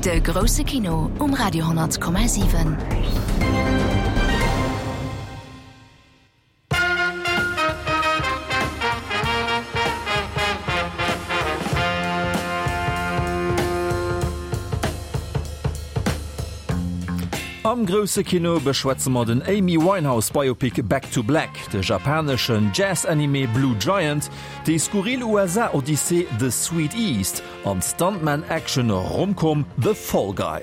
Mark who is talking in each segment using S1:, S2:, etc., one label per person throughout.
S1: De grousse Kino um Radio 10,7.
S2: Am grousse Kino beschwätze mer den Amy Winehouse Biopic Back to Black, de japaneschen Jazz-Anime Blue Giant, déi skurril USA-Odyssee The Sweet East an d'Stuntman-Action-Romcom The Fall Guy.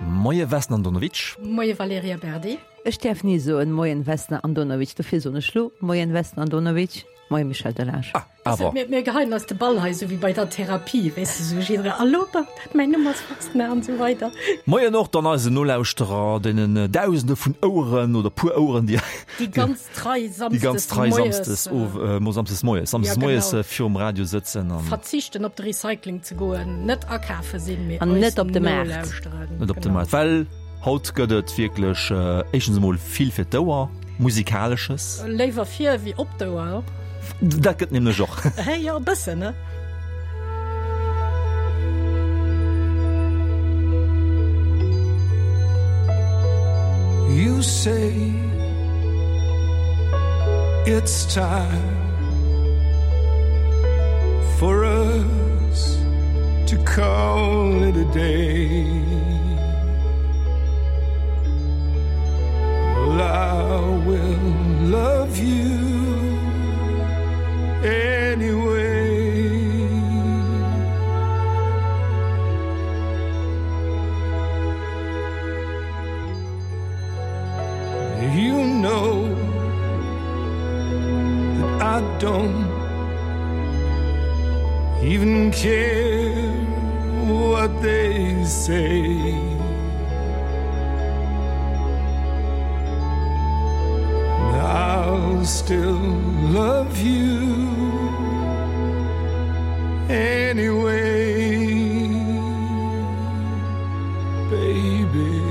S2: Moie Vesna Andonovic.
S3: Moie Valerija Berdi.
S4: Ech däerf ni soen Moien Vesna Andonovic, dofir soen ech lo Moien Vesna Andonovic. Moie Michel Delage.
S2: Ah, awer.
S3: Mir, mir geheien eis de Ball hei, sou wéi bei der Therapie, weess de, sou jidderee, Allo, mäin Numm ass Vesna an esou weider.
S2: Moien och dann eisen Nolauschterer, deenen Dausende vun Oueren oder puer Oueren, déi.
S3: Déi ganz trei
S2: samsdes. Déi ganz trei samsdes of, äh, samsdes moies, samsdes ja, moies äh, virum Radio sëtzen
S3: an. Verzichten op de Recycling ze goen, net akafe sinn,
S4: mee an net op de Maart.
S2: Net op de Maart, well. Haut gëtt et wierklech éischtens emol vill fir d'Ouer, Musikalesches.
S3: Léiwer fir wéi op d'Ouer.
S2: Dat gëtt nämlech och.
S3: Hé jo, e bëssen, ne?
S5: You say it's time for us to call it a day. Well, I will love you anyway. You know that I don't even care what they say. I'll still love you anyway, baby.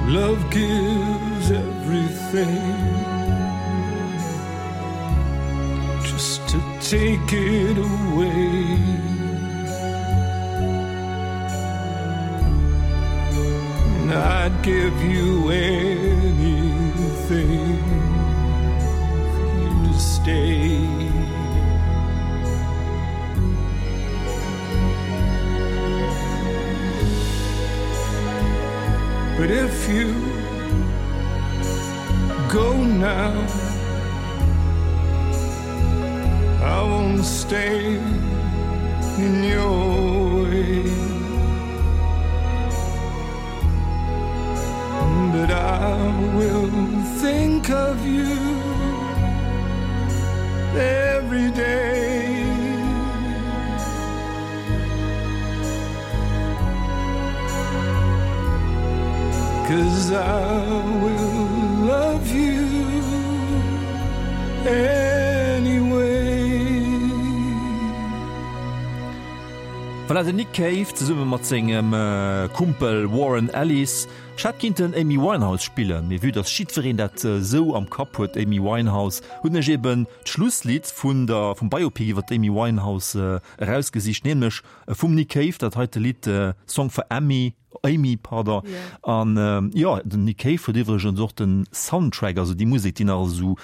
S5: Love gives everything just to take it away. And I'd give you anything for you to stay. But if you go now, I won't stay in your way. But I will think of you every day. Cause I will love you anyway.
S2: Voilà, den Nick Cave zesumme mat sengem Kumpel Warren Ellis. Ech hätt kinnten Amy Winehouse spillen, mee vue dass jiddwereen dat esou am Kapp huet, Amy Winehouse, hunn ech eben d'Schlusslidd vun der, vum Biopic iwwer d'Amy Winehouse erausgesicht, nämlech vum Nick Cave, dat heite Lidd Song for Amy, Amy, pardon. An jo, den Nick Cave huet iwwregens och den Soundtrack, also déi Musek, déi nach esou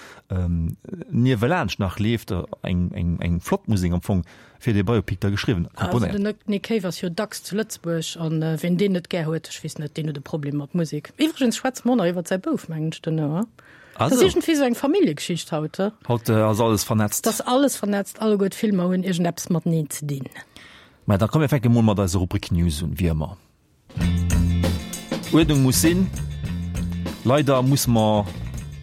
S2: niewelaanscht nach leeft, eng, eng, eng flott Musek am Fong, fir dee Biopic da geschriwwen,
S3: komponéiert. Also den Nick Cave ass jo dacks zu Lëtzebuerg an wien deen net gär huet, ech weess net, deen huet e Problem mat Musek. Iwwregens schwätze mer och nach iwwert säi Bouf, mengen ech, duerno, he? Dat ass iergendwéi esou eng Familljegeschicht haut, he?
S2: Haut ass alles vernetzt.
S3: Dat ass alles vernetzt, alleguer d'Filmer hunn iergendeppes mateneen ze dinn.
S2: Mä da komm mir fänke mol mat eiser Rubrik News un, wéi ëmmer. Uerdnung muss sinn. Leider musse mer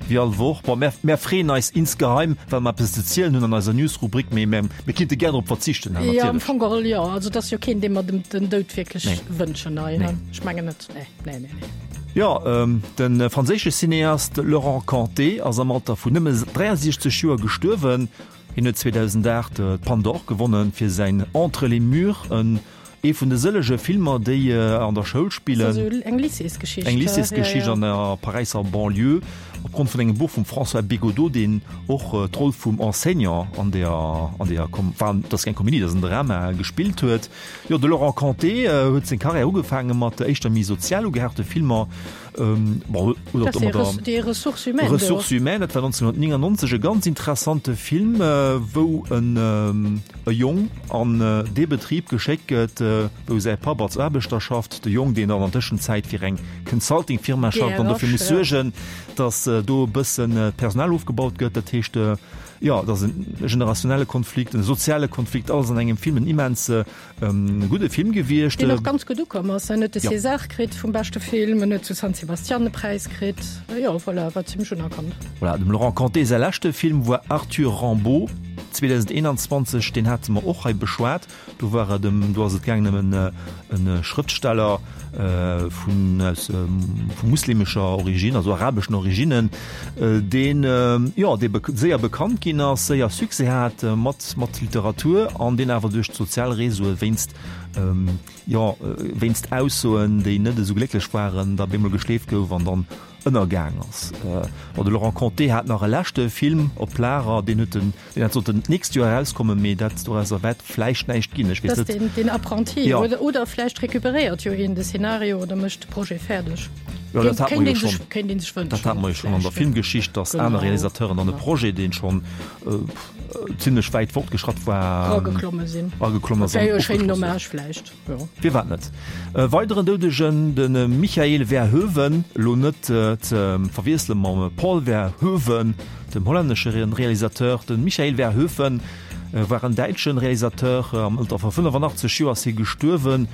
S2: wéi all Woch, bon mär, mär freeën eis insgeheim, well mer eppes ze zielen hunn an eiser News-Rubrik, mee mär, mir kinnte gär drop verzichten,
S3: Jo, am natierlech. Fong geholl jo. Also et ass jo keen, deem mer dem, den Doud wierklech Nee. wënschen hei, Nee. Ech mengen net. Nee, nee, nee, nee.
S2: Jo, de franséische Cineast Laurent Cantet ass am Alter vun nëmme 63 Joer gestuerwen. Hien huet 2008 d'Palme d'Or gewonnen fir säin Entre les murs, en. Ee vun de sëllege Filmer, déi an der Schoul spillen.
S3: Also eng Lycéesgeschicht.
S2: Eng Lycéesgeschicht an der Paräisser Banlieue, opgrond vun engem Buch vum François Bégaudeau, deen och d'Roll vum Enseignant an der, an der, enfin, dat ass keng Komedie, dat ass en Drama, gespillt huet. Jo, de Laurent Cantet huet seng Karriär ugefaange mat éischter méi sozial ugehauchte Filmer. Bon, oder
S3: Dat ass déi Ressources humaines.
S2: Ressources humaines, dat war 1999 e ganz interessante Film, wou en e Jong an dee Betrib geschéckt gëtt, wou säi Papp als Aarbechter schafft. De Jong, deen dann an Tëschenzäit fir eng Consulting-Firma schafft an dofir muss suergen, datt do e bëssen d'Personal ofgebaut gëtt. Dat heescht, jo, et ass e generationelle Konflikt, e soziale Konflikt, alles an engem Film, en immens E gudde Film gewiescht.
S3: Deen och ganz gutt ukomm ass. En huet de César kritt vum beschte Film, en huet zu San Sebastian e Präis kritt. Jo, voilà, war zimmlech unerkannt.
S2: Voilà, dem Laurent Cantet säi leschte Film war Arthur Rimbaud 2021, deen hate mer och hei beschwat. Do war et ëm, do ass et gaangen ëm en e Schrëftsteller vun aus vu muslimescher Origine, also arabeschen Originnen, deen jo, dee séier bekannt ginn ass, séier Succès hat mat mat Literatur an deen awer duerch d'sozial Réseaue wéinst jo wéinst Aussoen, déi net esou glécklech waren, da bemol geschleeft gouf an dann ënnergaang ass. Bon, de Laurent Cantet hat nach e leschte Film op Lager, deen huet den Deen hat sollten d'nächst Joer erauskommen, mee dat dorauser wäert vläicht näischt ginn. Ech weess
S3: net. Den, den Apprenti ja. oder, oder vläicht recuperéiert jo een de Szenario oder mécht de Projet fäerdeg.
S2: Ja, dat hat man jo schon. Kéint een sech wënschen. Dat hat man jo schon an der Filmgeschicht, dass aner Realisateuren dann e Projet, deen schon äh, zimmlech wäit fortgeschratt war,
S3: erageklomme sinn.
S2: Erageklomme
S3: sinn. Dat wär jo e schéinen Hommage vläicht.
S2: Jo. Firwat net? E weideren Doudegen, de Michael Verhoeven, elo net ze verwiessele mam Paul Verhoeven, dem hollännesche Realisateur. De Michael Verhoeven war en däitsche Realisateur. Am Alter vu 85 Joer ass hie gestuerwen.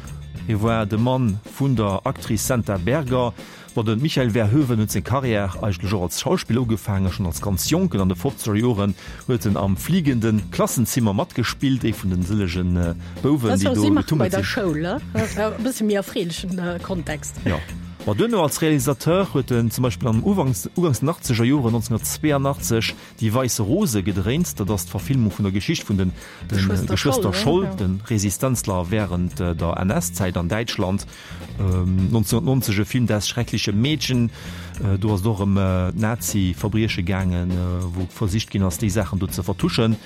S2: Hie war de Mann vun der Actrice Senta Berger. Bon, de Michael Verhoeven huet seng Karriär eigentlech och als Schauspiller ugefaangen. Schonn als ganz Jonken, an de fofzeger Joren, huet en am Fliegenden Klassenzimmer matgespillt, ee vun den sëllegen Bouwen, déi do
S3: getummelt sinn. Schoul, e bësse méi erfreelechen Kontext.
S2: Jo. Ma duerno als Realisateur huet en zum Beispill am Uganks, Uganks den achtzeger Joren, 1982, Die weiße Rose gedréint. Dat ass d'Verfilmung vun der Geschicht vun den Geschwëster Scholl, de Resistenzler wärend der NS-Zäit an Däitschland. 1990 e Film Das schreckliche Mädchen, do ass et och ëm Nazi-Verbrieche gaangen, wou versicht ginn ass, déi Saachen do ze vertuschen.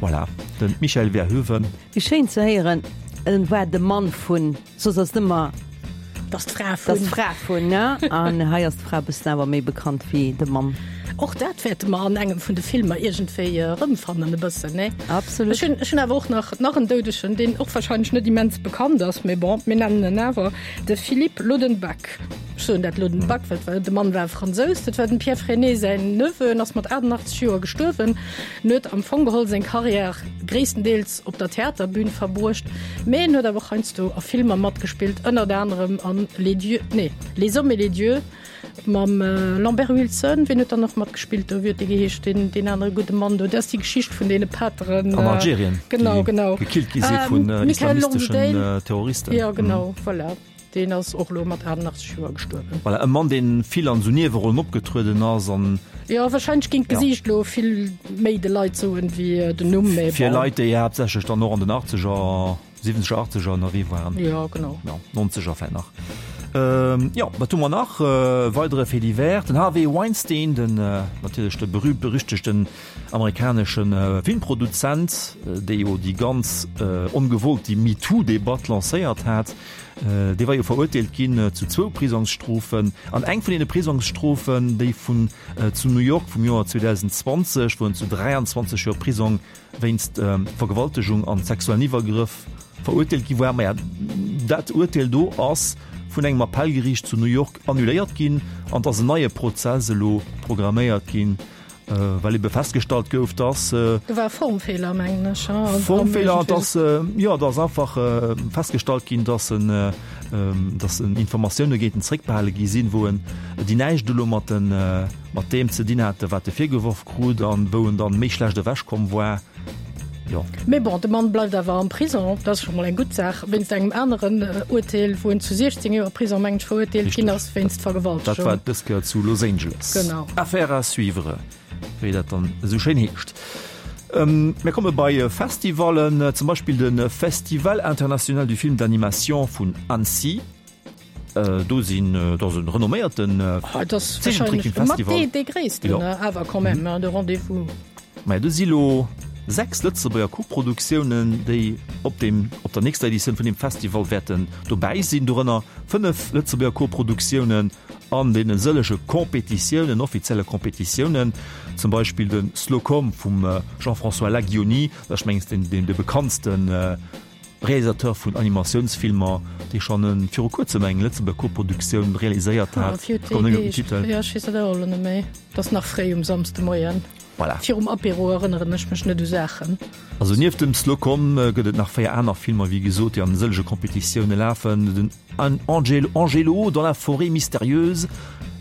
S2: Voilà, de Michael Verhoeven.
S4: Wéi schéin ze héieren, en war de Mann vun, soss ass et ëmmer.
S3: Dass d'Fra vun.
S4: Dass d'Fra vun, ne? An hei ass d'Fra e bëssen awer méi bekannt wéi de Mann.
S3: Och dat wäerte mer an engem vun de Filmer iergendwéi erëmfannen e bëssen, ne?
S4: Absolut.
S3: Ech hunn, ech hunn awer och nach, nach en Doudegen, deen och wahrscheinlech net immens bekannt ass, mee bon, mir nennen en awer, de Philippe Lodenback. Ech soen dat Lodenback, well et war, de Mann war Fransous, dat war dem Pierre Freinet säin Neveu, en ass mat 88 Joer gestuerwen. En huet am Fong geholl seng Karriär gréisstendeels op der Theaterbün verbruecht, mee en huet awer och heiansdo a Filmer matgespillt, ënnert anerem an Les Dieux, nee, Les Hommes et les Dieux mam Lambert Wilson. Wien huet dann och matgespillt do? Wéi huet dee geheescht, deen, deen anere gudde Mann do? Dat ass déi Geschicht vun deene Pateren.
S2: An Algerien,
S3: genau, genau.
S2: déi gekillt gi si vun islamisteschen Terroristen.
S3: Jo, genau, voilà. Deen ass och elo mat 88 Joer gestuerwen.
S2: Voilà, e Mann, deen vill an esou Niewerollen opgetrueden ass an.
S3: Jo, wahrscheinlech géing d'Gesiicht elo vill méi de Leit soen wéi den Numm,
S2: mee bon. Fir Leit, déi haaptsächlech dann och an den Achtzeger, Siwwenzeger, Achtzeger ënnerwee waren.
S3: Jo, genau.
S2: Jo, Nonzeger vläit nach. Jo, wat hu mer nach? Weidere Fait divers, den Harvey Weinstein, den natierlech de berühmt-berüchtegten Amerikanesche Filmproduzent, dee jo déi ganz ongewollt déi MeToo-Debatt lancéiert hat, dee war jo verurteelt ginn zu zwou Prisongsstrofen. An eng vun deene Prisongsstrofen, déi vun zu New York vum Joer 2020, wou en zu 23 Joer Prisong wéinst Vergewaltegung an sexuellen Iwwergrëff verurteelt gi war, maja, dat Urteel do ass vun engem Appellgeriicht zu New York annuléiert ginn an et ass en neie Prozess elo programméiert ginn. Well ebe festgestallt gouf, dass.
S3: Do war e Formfeeler, mengen ech.
S2: Formfeeler, dass, jo, et ass einfach festgestallt ginn, dass en, dass en Informatioune géint en zréckbehale gi sinn, wou en, déi näischt elo mat den, mat deem ze dinn hate wat e virgeworf krut an wou en dann méi schlecht ewechkomm war.
S3: Jo. Mee bon, de Mann bleift awer am Prison, dat ass scho mol eng gutt Saach, wéinst engem aneren Urteel, wou en zu 16 Joer Prison, mengen ech, verurteelt ginn ass wéinst Vergewaltegung.
S2: Dat war dës Kéier zu Los Angeles.
S3: Genau.
S2: Affaire à suivre, wéi dat dann esou schéin heescht. Mir komme bei Festivallen, zum Beispill de Festival international du film d'animation vun Annecy. Do sinn, dat ass e renomméierten
S3: Zeechentrickfilmfestival. Dee gréissten awer quand même, de Rendez-vous.
S2: Maja, do si lo 6 Lëtzebuerger Koproduktiounen, déi op deem, op der nächster Editioun vun deem Festival wäerten dobäi sinn. Dorënner 5 Lëtzebuerger Koproduktiounen an deene sëllege Competitiounen, offizielle Competitiounen, zum Beispill de Slocum vum Jean-François Laguionie, dat ass mengs deen, deen de bekanntsten Realisateur vun Animatiounsfilmer, dee schonn viru kuerzem eng Lëtzebuerger Koproduktioun realiséiert hat. Ech kommen net méi op den Titel.
S3: Jo, ech weess dat och elo net méi. Et ass nach fréi um Samsdemoien.
S2: Voilà.
S3: Virum Apéro erënneren ech mech net u Saachen.
S2: Also nieft dem Slocum gëtt et nach 4 aner Filmer, wéi gesot, déi an sëllege Competitioune lafen, den Angelo, Angelo dans la forêt mystérieuse,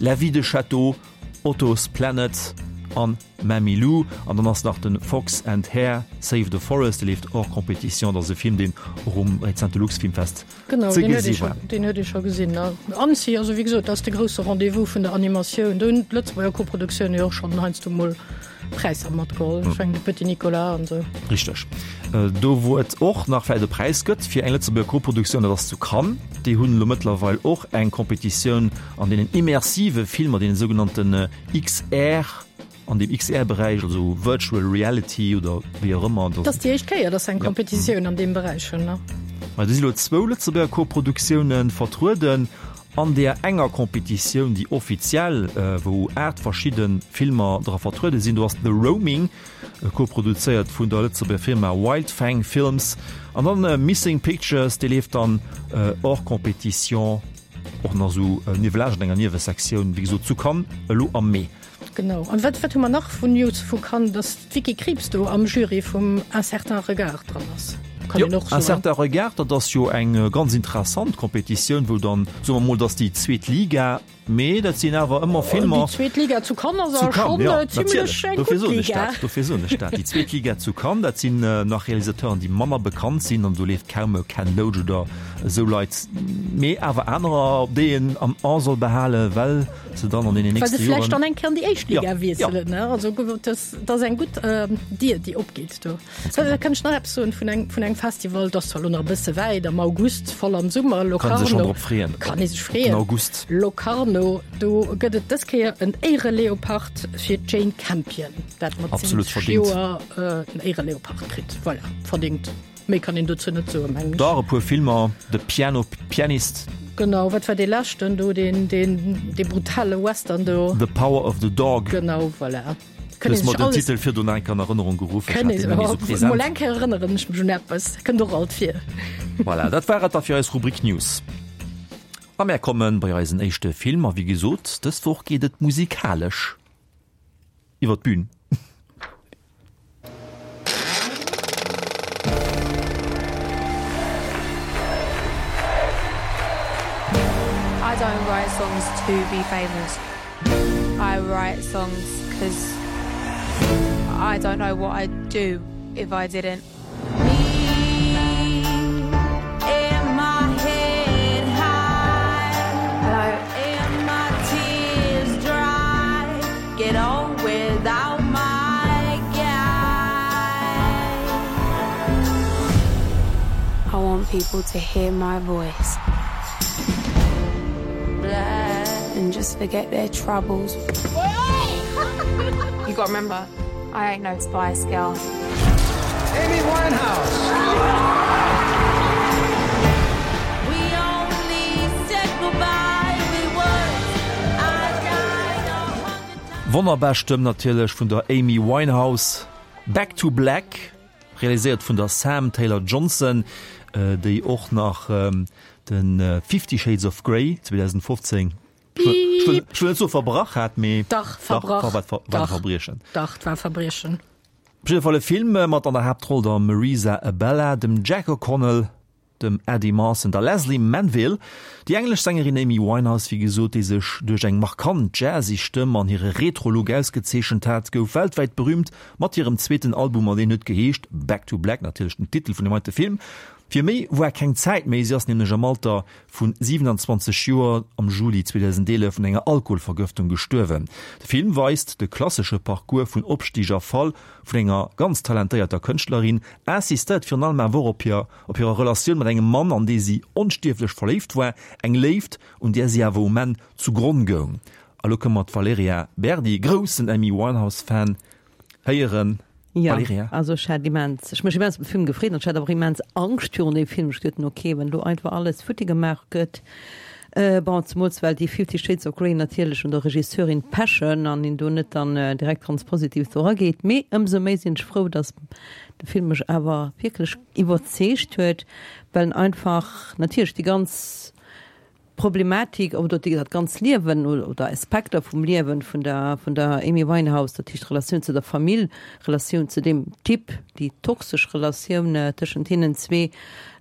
S2: La vie de Château, Otto's Planet an Mammy Lou. An dann ass nach de Fox and Hare Save the Forest, dee leeft hors compétition. Dat ass e Film, deen och um rezente Luxfilmfest
S3: Genau,
S2: ze
S3: deen huet ee
S2: gesi
S3: scho,
S2: war.
S3: deen huet ee scho gesinn. Annecy, also wéi gesot, dat ass de grousse Rendez-vous vun der Animatioun. Do hunn d'Lëtzebuerger Koproduktiounen jo och schonn heiansdo mol Präisser matgeholl. Ech mengen de Petit Nicolas an esou.
S2: Richteg. Do wou et och nach vläicht e Präis gëtt fir eng Lëtzebuerger Koproduktioun, dat ass zu Cannes. Déi hunn elo mëttlerweil och eng Competitioun an deenen immersive Filmer, deene sougenannten XR, an deem XR-Beräich, also Virtual Reality oder wéi och ëmmer.
S3: Dat ass déi éischt Kéier, dass se eng Competitioun an deem Beräich hunn, ne?
S2: Mä do si lo zwou Lëtzebuerger Koproduktioune vertrueden an deer enger Competitioun, déi offiziell, wou 8 verschidde Filmer dra vertruede sinn. Do ass The Roaming, koproduzéiert vun der Lëtzebuerger Firma Wildfang Films, an dann Missing Pictures, dee leeft dann hors compétition, och nach esou niewelaanscht an enger Niewesektioun, wéi gesot zu Cannes elo am Mee.
S3: Genau. An wat, wat hu mer nach vun News vu Cannes? Dass d'Vicky Krieps do am Jury vum Un certain regard dran ass.
S2: Kann een och soen. Un certain regard, dat ass jo eng ganz interessant Competitioun, wou dann, soe mer mol, dat ass déi zweet Liga, mee dat sinn awer ëmmer Filmer.
S3: Déi zweet Liga zu Cannes ass awer schonn zimlech eng gutt Liga.
S2: Dofir soen ech dat. Déi zweet Liga zu Cannes, dat sinn nach Realisateuren, déi manner bekannt sinn, an do leeft kaum e Ken Loach oder esou Leit, mee awer anerer, op déi een am A soll behalen, well se dann an deenen
S3: Well se
S2: nächste
S3: vläicht
S2: Joren.
S3: dann eng Kéier an déi éischt Liga
S2: Ja,
S3: wiesselen, ne? Also dat ass eng gutt Dier, déi opgeet do. Da kann ech nach eppes soen vun eng, vun engem Festival, dat ass zwar elo nach e bësse wäit, am August, voll am Summer,
S2: Kann ee sech schonn
S3: Locarno.
S2: drop freeën.
S3: Kann ee sech
S2: Op den
S3: freeën.
S2: August.
S3: Locarno, do gëtt et dës Kéier en Éiereleopard fir d'Jane Campion, dat mat
S2: Absolut
S3: 70
S2: verdingt.
S3: Joer en Éiereleopard kritt. Voilà, verdingt. Méi kann een dozou net soen, mengen ech.
S2: Dach, e puer Filmer, The Piano Pianist.
S3: Genau, wat war dee leschten do, deen, deen, dee brutale Western do?
S2: The Power of the Dog.
S3: Genau, voilà.
S2: Du hues mer den Titel virdrun nach eng Kéier an Erënnerung geruff, ech hat deen net méi esou present.
S3: Mol eng Kéier erënneren ech mech un eppes, kënnt och alt vir.
S2: Voilà, dat war et da fir eis Rubrik News. A mär kommen bei eisen éischte Film, a wéi gesot, dës Woch geet et musikalesch iwwer d'Bün.
S6: I don't write songs to be famous. I write songs 'cause I don't know what I'd do if I didn't. I want people to hear my voice and just forget their troubles. You gotta remember, I ain't no Spice Girl.
S5: Amy Winehouse.
S2: Wonnerbar Stëmm natierlech vun der Amy Winehouse. Back to Black, realiséiert vun der Sam Taylor Johnson, déi och nach de Fifty Shades of Grey 2015, ech wëll net soe verbrach hat, mee
S3: dach, verbrach,
S2: war e Verbriechen.
S3: Dach, et war e Verbriechen.
S2: Op jidde Fall e Film mat an der Haaptroll der Marisa Abela, dem Jack O'Connell, dem Eddie Marsan, der Lesley Manville, déi englesch Sängerin Amy Winehouse, wéi gesot, déi sech duerch eng markant jazzy Stëmm an hire Retro-Look ausgezeechent hat, gouf weltwäit berüümt mat hirem zweeten Album an deen huet geheescht Back to Black, natierlech den Titel vun dem heite Film. Fir méi war keng Zäit méi, si ass nämlech am Alter vu 27 Joer am Juli 2011 un enger Alkoholvergëftung gestuerwen. De Film weist de klassesche Parcours vun Opstig a Fall vun enger ganz talentéierter Kënschtlerin, insistéiert virun allem awer och op hir op hirer Relatioun mat engem Mann, an dee si onstierflech verléift war, eng Léift, un där si awer um Enn zu Gronn goung. A lo kënne mer d'Valerija Berdi, groussen Amy Winehouse-Fan, héieren.
S4: Jo,
S2: Valerija?
S4: also ech hat immens, ech mech immens op de Film gefreet an ech hat awer och immens Angscht virun deem Film. Ech duechten, ok, wann elo einfach alles futti gemaach gëtt, bon, zemools well déi Fifty Shades of Grey natierlech un der Regisseurin pechen an een do net dann direkt ganz positiv do erageet. Mee ëmsou méi sinn ech frou, datt de Film mech awer wierklech iwwerzeegt huet, well en einfach natierlech déi ganz Problematik oder déi dat ganz Liewen oder Aspekter vum Liewen vun der vun der Amy Winehouse, dat heescht d'Relatioun zu der Famill, Relatioun zu deem Typ, déi toxesch Relatioun tëschent hinnen zwee,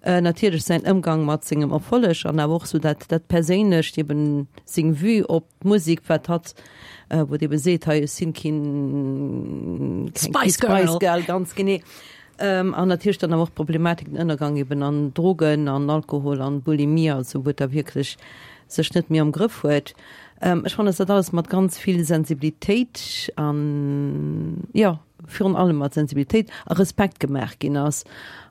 S4: natierlech säin Ëmgang mat sengem Erfolleg an awer och sou dat dat Perséinlecht, eben seng Vue op d'Musek, wat hatt wou et ebe seet, hei ech sinn keen keng
S3: Spice Girl.
S4: Spice Girl, ganz genee. An natierlech dann awer och d'Problematik, den Ënnergang eben an Drogen an Alkohol an Bulimie, also wou et da wierklech sech net méi am Grëff huet. Ech fannen, dass dat alles mat ganz vill Sensibilitéit an, jo, virun allem mat Sensibilitéit a Respekt gemaach ginn ass.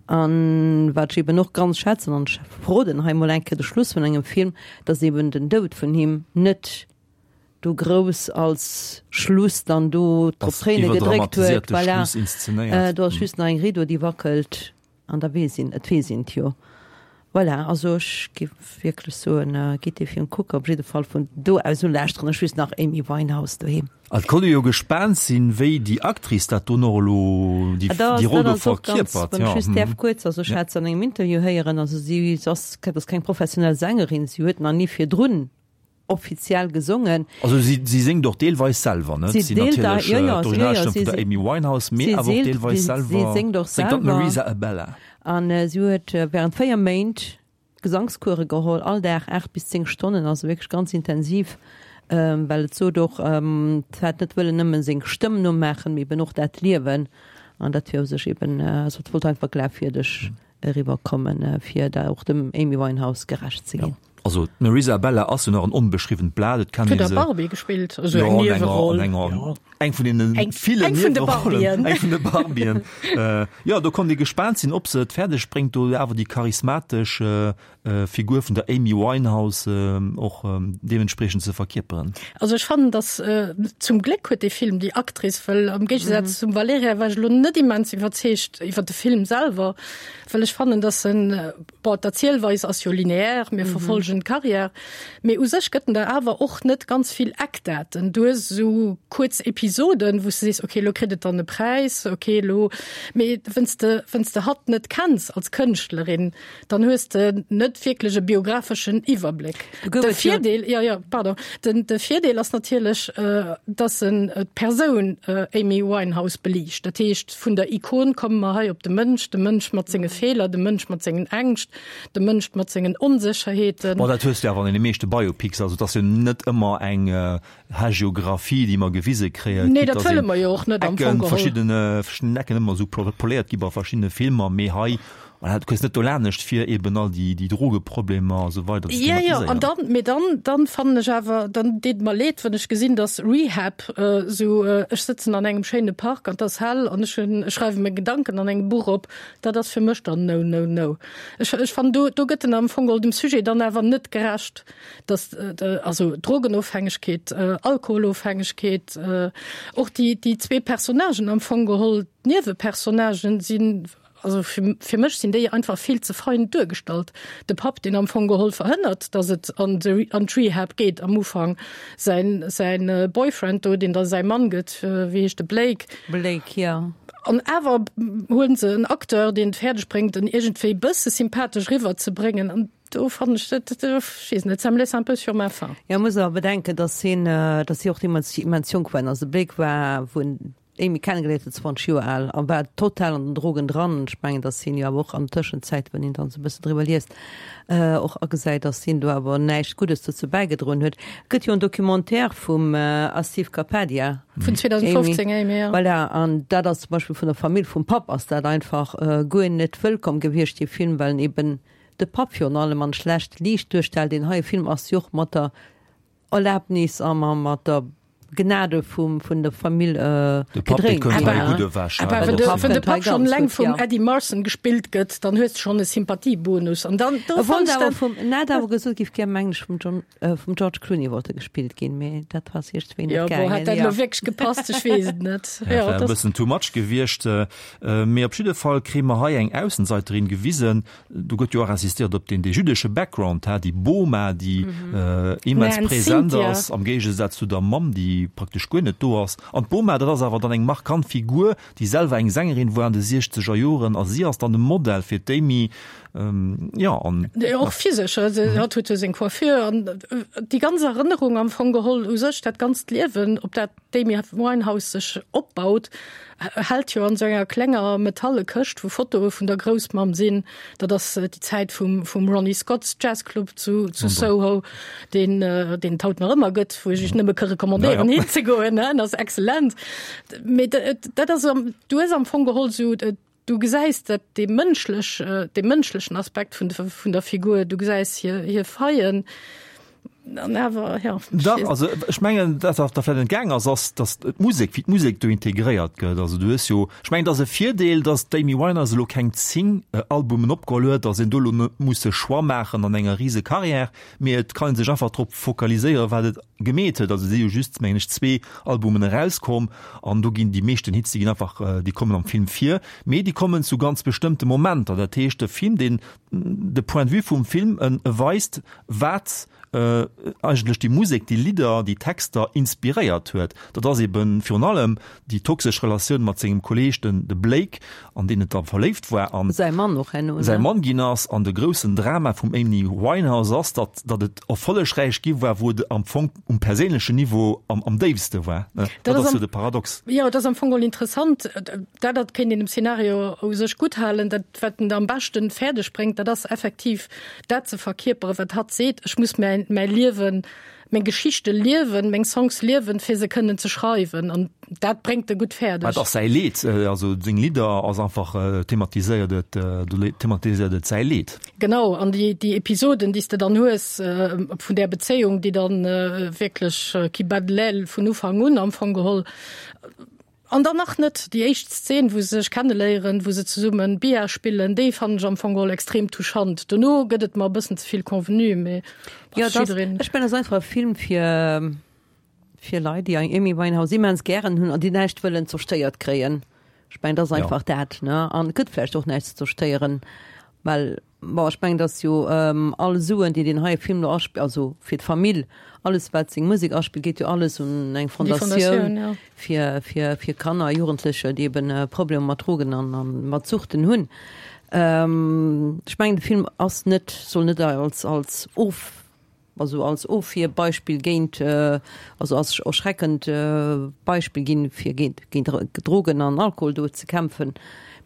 S4: An wat ech eben och ganz schätzen, an ech verroden hei mol eng Kéier de Schluss vun engem Film, dass eben den Doud vun him net do grouss als Schluss dann do drop Tréine gedréckt huet. Voilà. Äh, do ass just nach eng Rideau, déi wackelt an da weess een, et weess een et jo. Voilà, also ech géif wierklech soen, äh, gitt dee Film kucken, op jidde Fall vun do aus u lauschteren ech just nach Amy Winehouse doheem.
S2: Et konnt ee jo gespaant sinn, wéi déi Actrice dat do nach elo, déi,
S4: Ah, da
S2: déi
S4: ass,
S2: Roll
S4: dat
S2: do
S4: ass och ganz,
S2: verkierpert.
S4: wann ech
S2: Ja,
S4: just däerf kuerz, also ech
S2: ja.
S4: hat se an engem Interview héieren, also si ass, dat ass keng professionell Sängerin, si huet nach ni virdrun offiziell gesongen.
S2: Also si, si séngt och deelweis selwer, net?
S4: Si
S2: Si
S4: deelt da,
S2: natierlech
S4: jo, jo, jo,
S2: d'Originalstëmm
S4: si
S2: vun der Amy Winehouse, mee
S4: si
S2: awer och
S4: seelt,
S2: deelweis
S4: si
S2: selwer
S4: séngt och
S2: séngt dann
S4: selwer.
S2: d'Marisa Abela.
S4: An si huet während 4 Méint Gesangskuere geholl, all Dag 8 bis 10 Stonnen, also wierklech ganz intensiv, well et sot och, et hat net wëllen nëmmen seng Stëmm nomaachen, mee eben och dat Liewen. An dat wier u sech eben, also et wollt einfach glafwierdeg eriwwer kommen, fir da och dem Amy Winehouse gerecht ze ginn.
S2: Ja. Also d'Marisa Abela ass jo nach en onbeschriwwent Blat, et kennt
S3: Huet
S2: ee
S3: a
S2: se.
S3: Barbie gespillt, esou
S2: Jo,
S3: eng
S2: an enger,
S3: Nieweroll.
S2: an enger,
S3: Jo.
S2: eng vun deene
S3: Eng,
S2: villen
S3: eng vun de
S2: Niewerollen,
S3: Barbien.
S2: eng vun de Barbien. Äh, jo, do konnt ee gespaant sinn, ob se et fäerdeg bréngt, do awer déi charismatesch Figur vun der Amy Winehouse och deementspriechend ze verkierperen.
S3: Also ech fannen, dass zum Gléck huet dee Film déi Actrice, well am Géigesaz zum Valerija war ech elo net immens iwwerzeegt iwwer de Film selwer, well ech fannen, dass en, bon, d'Erzielweis ass jo lineaire, mir verfolgen d'Carrière, mee u sech gëtt en der awer och net ganz vill Eckdaten. Du hues esou kuerz Episoden, wou s de sees, okay, elo kritt et dann e Präis, okay, elo, mee wenn's de, wenn's de hatt net kenns als Kënschtlerin, dann hues de net wierklech e biographeschen Iwwerbléck. De Virdeel, ja, ja, pardon, den, de Virdeel ass natierlech, äh, dass en äh, d'Persoun äh, Amy Winehouse beliicht. Dat heescht, vun der Ikon komme mer hei op de Mënsch, de Mënsch mat senge Feeler, de Mënsch mat sengen Ängscht, de Mënsch mat sengen Onsécherheeten.
S2: Bon, dat hues de awer an deene meeschte Biopics, also et ass jo net ëmmer eng Hagiographie, déi mer gewise kréien.
S3: Nee, dat wëlle mer jo och net am Fong geholl.
S2: Verschidden, verschidden Ecken ëmmer esou poléiert gi bei verschiddene Filmer, mee hei, voilà, du kënns net dolanescht fir eben all déi, déi Drogeproblemer a sou weider ze
S3: Ja, ja,
S2: thematiséieren.
S3: an dann, mee dann, dann fannen ech awer, dann deet et mer leed, wann ech gesinn, dass Rehab esou, ech sëtzen an engem schéine Park an 't ass hell an ech hunn, ech schreiwe meng Gedanken an engem Buch op, dat ass fir mech dann no, no, no. Ech, ech fannen, do, do gëtt en am Fong geholl dem Sujet dann awer net gerecht. dass also Drogenofhängegkeet, Alkoholofhängegkeet, och déi déi zwee Personnagen am Fong geholl, d'Niewepersonnagen sinn, also fir fir mech sinn déi einfach vill ze fein duergestallt. De Papp, deen am Fong geholl verhënnert, dass et an de an d'Rehab geet am Ufank, säin säin Boyfriend do, deen da säi Mann gëtt, wéi heescht de, Blake?
S4: Blake, jo.
S3: An awer huelen se en Acteur, deen et fäerdeg bréngt, en iergendwéi bësse sympathesch eriwwerzebréngen an Do fannen ech dat, ech weess net, ça me laisse un peu sur ma faim.
S4: Jo, muss awer bedenken, dass hien, dass si och deemools immens jonk waren. Also de Blake war, wou en. Amy kennegeléiert huet, 20 Joer al a war total an den Drogen dran. Ech mengen, datt hien jo awer och an der Tëschenzäit, wann een dann esou e bëssen driwwer liest, och agesäit, datt hien do awer näischt Guddes dozou bäigedroen huet. Et gëtt jo en Documentaire vum Asif Kapadia.
S3: Vun 2015, Amy,
S4: jo. Voilà, an dat ass zum Beispill vun der Famill vum Papp ass dat einfach guer net wëllkomm gewiescht, dee Film, well en eben de Papp virun allem an schlecht Liicht duerstellt. Deen heie Film ass jo och mat der Erlaabnis a mat der Gnade vum vun der Famill
S2: De Papp, dee
S4: gedréint.
S2: kënnt hei gutt ewech,
S3: Awer
S2: hein,
S3: wann
S2: dat
S3: de,
S2: ass
S3: wann de
S4: Kënnt hei
S3: Papp schonn
S4: ganz
S3: eleng
S4: gutt,
S3: vum
S4: ja.
S3: Eddie Marsan gespillt gëtt, dann hues de schonn e Sympathiebonus. An dann, do
S4: E
S3: fannt
S4: wollt
S3: ech
S4: awer
S3: dat.
S4: vum, en hat awer gesot, giff gär mengen ech vum John, vum George Clooney wollt e gespillt ginn, mee dat ass iergendwéi
S3: Jo,
S4: net
S3: bon, hätt
S4: gaangen,
S3: dat elo
S4: ja.
S3: wierklech gepasst? Ech weess et net.
S2: Ja,
S3: Jo,
S2: war e
S3: dat.
S2: bëssen too much gewiescht. Mee op jidde Fall kréie mer hei eng Aussenseiterin gewisen, Do gëtt jo och insistéiert op deen dee jüddesche Background, ha, déi Boma, déi immens present ass, am Géigesaz zu der Mamm, déi praktesch guer net do ass. An d'Boma, dat ass awer dann eng markant Figur, déi selwer eng Sängerin war an de siechzeger Joren, a si ass dann de Modell fir d'Amy, jo, an.
S3: Och physesch, hatt huet jo seng Coiffure an déi ganz Erënnerung am Fong geholl u sech, dat ganzt Liewen, op dat d'Amy Winehouse sech opbaut, hält jo an esou enger klenger metalle Këscht, wou Fotoe vun der Groussmamm sinn. Dat ass déi Zäit vum, vum Ronnie Scott's Jazz Club zu, zu Soho, deen, deen et haut nach ëmmer gëtt, wou ech iech nëmme ka recommandéieren, ja, ja. hinzegoen, en ass excellent. Mee dat ass, du hues am Fong geholl esou, du gesäis dat dee mënschlech, dee mënschlechen Aspekt vun, vun der Figur, du gesäis hir, hir Faillen. An awer, ja.
S2: Dach, also ech mengen, dat wat der vläicht entgaang ass, ass, datt d'Musek, wéi d'Musek do integréiert gëtt. Also du hues jo, ech mengen, et ass e Virdeel, datt d'Amy Winehouse elo keng 10 Albumen opgeholl huet, datt een do elo net muss e Choix maachen an enger rise Carrière, mee et kann ee sech einfach drop fokaliséieren, wat et gemeet huet. Also et si jo just, mengen ech, zwee Albumen erauskomm an do ginn déi meeschten Hits, déi ginn einfach, déi kommen am Film vir, mee déi kommen zu ganz bestëmmte Momenter. Dat heescht, de Film, deen de Point de vue vum Film, en weist, wat eigentlech déi Musek, déi Lidder, déi Texter inspiréiert huet. Dat ass eben virun allem déi toxesch Relatioun mat sengem Kolleeg, den de Blake, an deen et da verléift war an
S4: Säi Mann och herno, ne?
S2: säi Mann ginn ass. An de groussen Drama vum Amy Winehouse ass, datt datt et erfollegräich gi war, wou et am Fong um perséinlechen Niveau am am déifste war, ne?
S3: Dat
S2: Dat ass
S3: ass
S2: jo
S3: am,
S2: de Paradox.
S3: jo, et ass am Fong geholl interessant, dat dat kéint een dem Szenario u sech gutthalen, dat wat en am beschten fäerdeg bréngt, dat ass effektiv dat ze verkierperen, wat hatt seet, ech muss mäin, mäi Liewen, meng Geschichte liewen, meng Songs liewen, fir se kënnen ze schreiwen. An dat bréngt e gutt fäerdeg.
S2: Et ass säi Leed, also seng Lidder ass einfach, thematiséiert et, do thematiséiert et säi Leed.
S3: Genau, an déi, déi Episoden, déi s de dann hues vun där Bezéiung, déi dann wierklech qui bat de l'aile vun Ufank un am Fong geholl, An dann nach net déi éischt Szen, wou se sech kenneléieren, wou se zesummen Billard spillen, déi fannen ech am Fong geholl extrem touchant. Dono gëtt et mer e bëssen ze vill convenu, mee
S4: Jo, et ass, ech mengen, et ass einfach e Film fir, fir Leit, déi Amy Winehouse immens gären hunn an déi näischt wëllen zerstéiert kréien. Ech mengen, et ass einfach dat, ne? An et gëtt vläicht och näischt ze zerstéieren, well Bon, ech mengen, dass jo all Suen, déi deen heie Film elo aspillt, also fir d'Famill, alles wat seng Musek aspillt, geet jo alles un eng Fondatioun fir, fir, fir Kanner a Jugendlecher, déi eben Problemer mat Drogen an, a mat Suchten hunn. Ech mengen, de Film ass net, soll net als, als Of, also als Ofwierbeispill géint, also als erschreckend Beispill ginn, fir géint Drogen an Alkohol do ze kämpfen,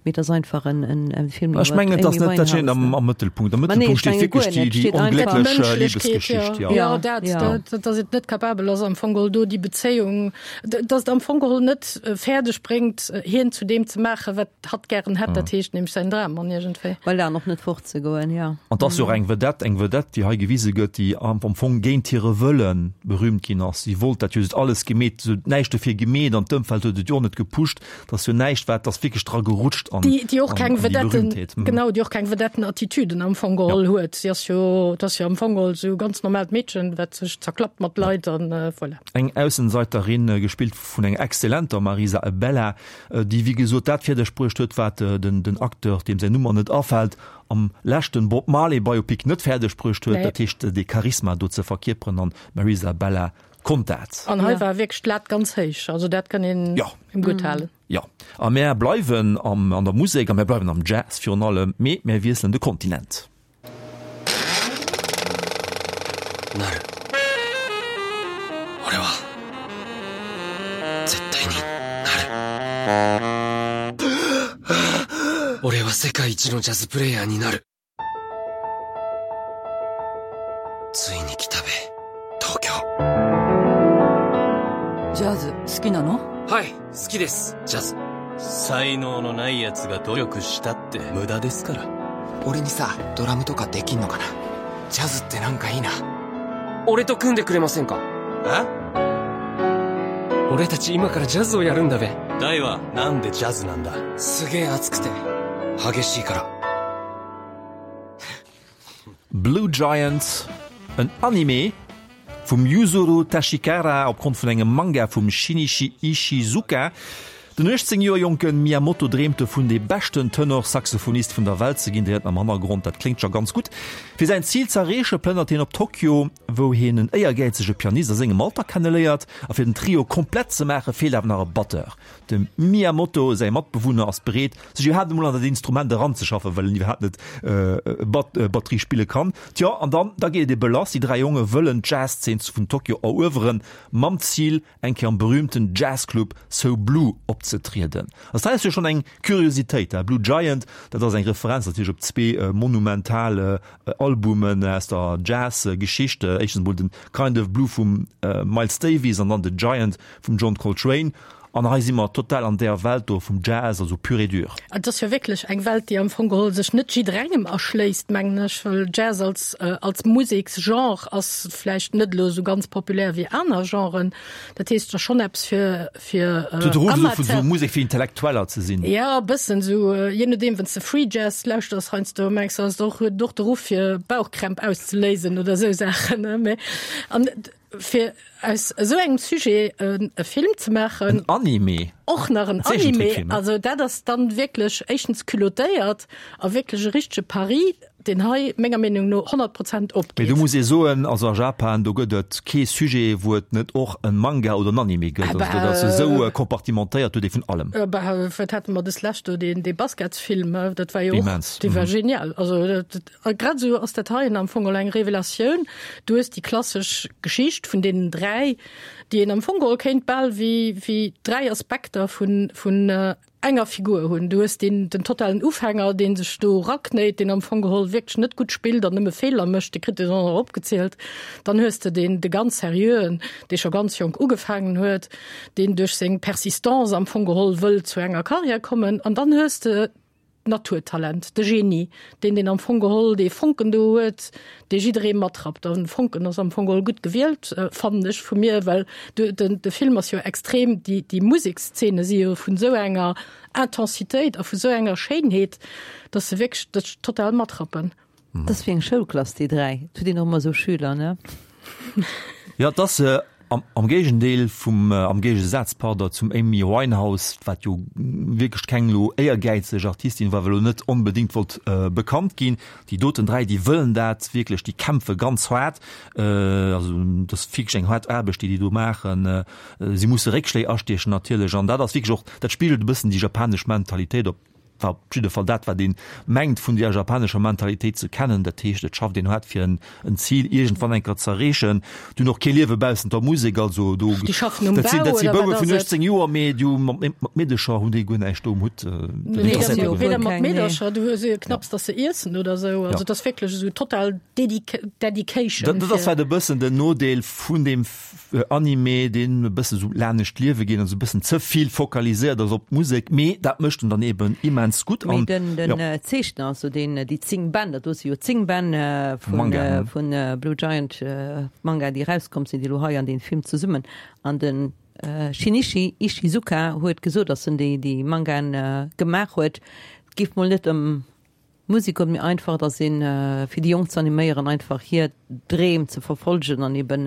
S4: mee et ass einfach en Film
S2: Ech
S4: iwwer
S2: mengen, et ass
S4: Amy
S2: net, dat steet
S4: Winehouse.
S2: am am Mëttelpunkt. Am
S4: Ma nee,
S2: Mëttelpunkt
S4: ech
S2: steet
S4: menge
S2: wierklech
S4: guer
S2: déi
S4: net,
S2: déi
S4: steet einfach
S2: onglécklech
S3: D'Mënschlechkeet,
S2: Libesgeschicht,
S3: jo.
S2: jo.
S3: Jo, dat,
S4: Ja.
S3: dat, datt et net capabel ass am Fong geholl do déi Bezéiung, datt et am Fong geholl net fäerdeg bréngt, hien zu deem ze maachen, wat hatt gären hätt, dat heescht nämlech säin Drammann iergendwéi.
S4: Voilà, an och net fortzegoen, jo.
S2: An 't ass jo och eng Vedette, eng Vedette, déi hei gewise gëtt, déi am Fong géint hire Wëlle berühmt ginn ass. Si wollt dat jo, se huet alles gemeet, se huet näischt dofir gemeet an d'Ëmfeld huet et jo och net gepusht. 't ass jo näischt, wat, 't ass wierklech dra gerutscht an,
S3: Déi, déi och
S2: an,
S3: keng
S2: an déi
S3: Vedetten,
S2: Berühmtheet.
S3: genau, déi och keng Vedettenattitüden am Fong geholl huet. Si ass jo, 't ass jo am Fong geholl esou ganz normaalt Meedchen, wat sech zerklappt mat Leit an voilà.
S2: Eng Aussenseiterin, gespillt vun enger exzellenter Marisa Abela, déi wéi gesot dat fäerdeg bruecht huet, wat den den Acteur, deem säin Numm mer net afält, am leschten Bob Marley Biopic net fäerdeg bruecht huet, dat heescht dee Charisma do ze verkierperen an d'Marisa Abela konnt dat.
S3: An hei war wierklech d'Lat ganz héich, also dat kann een him gutt halen.
S2: Jo, a mär bleiwen am an der Musek a mär bleiwen am Jazz virun allem, mee mär wiesselen de Kontinent.
S5: 俺は世界一のジャズプレイヤーになる。ついに来たべ、東京。
S7: ジャズ好きなの
S5: はい、好きです、ジャズ。
S8: 才能のない奴が努力したって無駄ですから。
S9: 俺にさ、ドラムとかできんのかなジャズってなんかいいな。
S5: 俺と組んでくれませんか
S8: え
S5: 俺たち今からジャズをやるんだべ。
S8: ダイはなんでジャズなんだ
S5: すげえ熱くて、激しいから。
S2: Blue Giant, en Anime vum Yuzuru Tashikara opgrond vun engem Manga vum Shinichi Ishizuka. Den 18 Joer jonke Miyamoto dreemt dovun, dee beschten Tenor-Saxophonist vun der Welt ze ginn. Dir héiert am Hannergrond, dat kléngt scho ganz gutt. Fir säin Zil z'erreeche plënnert hien op Tokio, wou hien en éiergäizege Pianist a sengem Alter kenneléiert. A fir den Trio komplett ze maache feelt awer nach e Batteur. Dem Miyamoto säi Matbewunner ass bereet, sech iwwerhaapt emol an dat Instrument eranzeschaffen, well en iwwerhaapt net Batterie spille kann. Tjo, an dann, da geet et ebe lass, Déi 3 Jonge wëllen d'Jazzszen vun Tokio erueweren, mam Zil, eng Kéier am berühmten Jazzclub So Blue opzetrieden. Also dat ass jo schonn eng Kuriositéit, Blue Giant, dat ass eng Referenz natierlech op zwee monumental Albumen aus der Jazz-Geschicht, éischtens emol den Kind of Blue vum Miles Davis an dann The Giant vum John Coltrane. An hei si mer total an där Welt do vum Jazz, also pur et dur.
S3: Et ass jo wierklech eng Welt, déi am Fong geholl sech net jidderengem erschléisst, mengen ech, well Jazz als, als Museksgenre ass vläicht net elo esou ganz populär wéi aner Genren. Dat heescht, et ass schonn eppes fir, fir
S2: Amateur. De Ruff esou vun esou Musek fir Intellektueller ze sinn.
S3: Jo, e bëssen esou, jee nodeem, wann s de Free Jazz lauschters heiansdo, mengs de, ass et och, huet et och de Ruff fir Bauchkrämp auszeléisen oder esou Saachen, ne? Mä an Fir aus esou engem Sujet e Film ze maachen.
S2: En Anime.
S3: Och nach en Anime. Also dat ass dann wierklech éischtens culottéiert a wierklech e richtege Pari, deen hei menger Meenung no 100 Prozent opgeet.
S2: Mee do muss ee soen, also a Japan, do gëtt et kee Sujet, wou et net och en Manga oder en Anime gëtt. Also dat ass esou kompartimentéiert, do huet ee vun allem.
S3: Bah, wat hate mer des Lescht do, deen, dee Basketsfilm, dat war jo och.
S2: Immens.
S3: Dee war genial. Also dat. A grad esou ass dat heien am Fong eng Revelatioun. Du hues déi klassesch Geschicht vun deenen 3, déi een am Fong geholl kéint bal wéi, wéi 3 Aspekter vun, vun enger Figur hunn. Du hues deen, den totalen Ufänger, dee sech do eraknéit, deen am Fong geholl wierklech net gutt spillt an nëmme Feeler mécht, dee kritt een och nach opgezielt. Dann hues de deen, de ganz Seriöen, dee scho ganz jonk ugefaangen huet, deen duerch seng Persistance am Fong geholl wëll zu enger Karriär kommen. An dann hues de D'Naturtalent, de Genie, deen deen am Fong geholl dee Fonken do huet, dee jidderee matrappt. An Fonken ass am Fong geholl gutt gewielt, fannen ech vu mir, well de, de, de Film ass jo extrem, déi, déi Musekszene si jo vun esou enger Intensitéit a vu sou enger Schéinheet, dass se wierklech dech total matrappen.
S4: Dat ass wéi eng Schoulklass, déi 3. Et huet een och ëmmer esou Schüler, ne?
S2: Jo, et ass am Géigendeel vum, am Géigesaz, pardon, zum Amy Winehouse, wat jo wierklech keng elo éiergäizeg Artistin war, well elo net onbedéngt wollt bekannt ginn. Déi doten 3, déi wëllen dat wierklech, déi kämpfe ganz haart. Also dat ass wierklech eng haart Aarbecht, déi déi do maachen. Si musse Réckschléi astiechen natierlech an dat ass wierklech och, dat spigelt e bëssen déi japanesch Mentalitéit op. War op jidde Fall dat, wat ee mengt vun där japanescher Mentalitéit ze kennen. Dat heescht, et schafft een haart fir en Zil iergendwann eng Kéier z'erreechen. Déi hunn och kee Liewe baussent der Musek, also do,
S3: Déi schaffen um
S2: dat sinn,
S3: Bau
S2: dat si
S3: oder
S2: Bouwe
S3: wat
S2: vun
S3: ass et?
S2: 18 Joer, mee déi hu mat, mat Meedecher hunn déi guer näischt do um Hutt. Dat
S3: Nee,
S2: interesséiert déi
S3: weder
S2: guer net.
S3: mat
S4: Keng, nee.
S3: Meedercher, du hues knapps, dass se iessen oder esou. Also
S2: Ja.
S3: et ass wierklech esou total Dedica Dedication
S2: Dat, dat ass
S3: fir.
S2: vläicht e bëssen den Nodeel vun deem Anime, deen e bësse sou lanescht d'Liewe geet an sou e bëssen ze vill fokaliséiert ass op d'Musek, mee dat mécht en dann eben immens gutt.
S4: Mee
S2: An
S4: den den
S2: jo.
S4: Zeechner, also deen déi 10 Bänn, dat do si jo 10 Bänn vun
S2: Manga,
S4: vun Blue Giant Manga, déi erauskomm sinn, déi elo hei an deem Film zesummen an den Shinichi Ishizuka huet gesot, datt en déi déi Mangaen gemaach huet, et géif mol net ëm Musek huet méi einfach, et ass een fir déi Jonk ze animéieren, einfach hir Dreem ze verfolgen an eben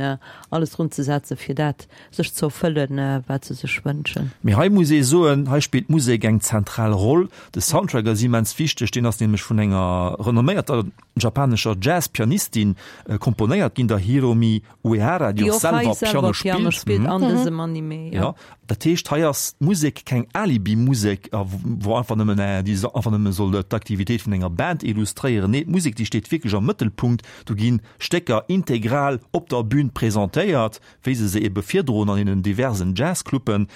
S4: alles drun ze setzen, fir dat sech ze erfëllen, wat se sech wënschen.
S2: Mee hei muss ee soen, hei spillt d'Musek eng zentral Roll. De Soundtrack ass immens wichteg, deen ass nämlech vun enger renomméierter japanescher Jazz-Pianistin komponéiert ginn, der Hiromi Uehara, déi och selwer Piano spillt.
S4: An dësem Anime,
S2: jo. Jo, dat heescht, hei ass d'Musek keng Alibi-Musek, wou einfach nëmmen, déi einfach nëmme soll d'Aktivitéit vun enger. Band illustréieren. Nee, d'Musek, déi steet wierklech am Mëttelpunkt. Do gi Stécker integral op der Bün presentéiert, wéi se se ebe virdroen an deenen diversen Jazzcluben.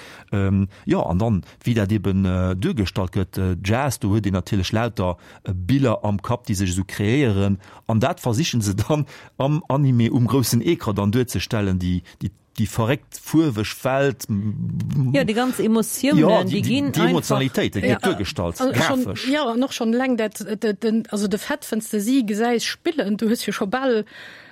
S2: Jo, an dann, wéi dat eben duergestallt gëtt, Jazz, do huet een natierlech lauter Biller am Kapp, déi sech esou kreéieren. An dat versichen se dann am Anime um groussen Ecran dann duerzestellen, déi, déi, déi verréckt fuerweg Welt.
S4: Jo, déi ganz Emotiounen,
S2: jo, déi,
S4: déi ginn
S2: déi Emotionalitéit, déi gëtt duergestallt, grafesch.
S3: Jo, an och schonn eleng dat, den, also de Fait, wann s de si gesäis spillen, du hues jo scho bal,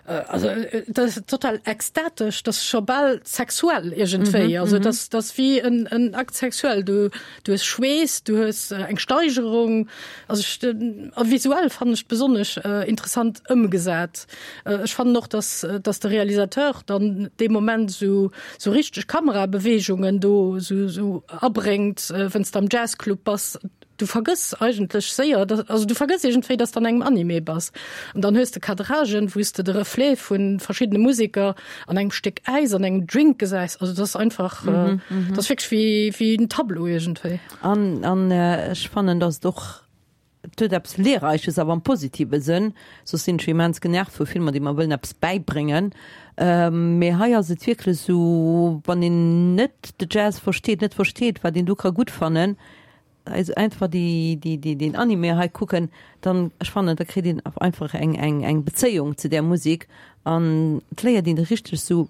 S3: also dat ass total ekstatesch, dat ass scho bal sexuell iergendwéi. Also dat ass, dat ass wéi en, en Acte sexuel. Du, du hues Schweess, du hues eng Steigerung. Also ech, a visuell fannen ech besonnesch interessant ëmgesat. Ech fannen och, dass, dass de Realisateur dann dee Moment esou, esou richteg Kamerabeweegungen do esou, esou abréngt, wenn's de am Jazzclub bass. Du vergëss eigentlech séier, also du vergëss iergendwéi, dass de an engem Anime bass. An dann hues de Cadragen, wou s de de Reflet vu verschiddene Museker an engem Stéck Äis, an engem Drink gesäis. Also dat ass einfach, dat ass wierklech wéi, wéi en Tableau iergendwéi.
S4: An, an ech fannen, dass et och, et huet eppes Lehrreiches, awer am positive Sënn. Soss sinn ech jo immens genervt vu Filmer, déi mer wëllen eppes bäibréngen. Mee hei ass et wierklech esou, wann een net de Jazz versteet, net versteet, wat een do ka gutt fannen, also einfach déi, déi, déi, deen Anime hei kucken, dann, ech fannen, da kritt een einfach eng, eng, eng Bezéiung zu där Musek an et léiert een richteg sou,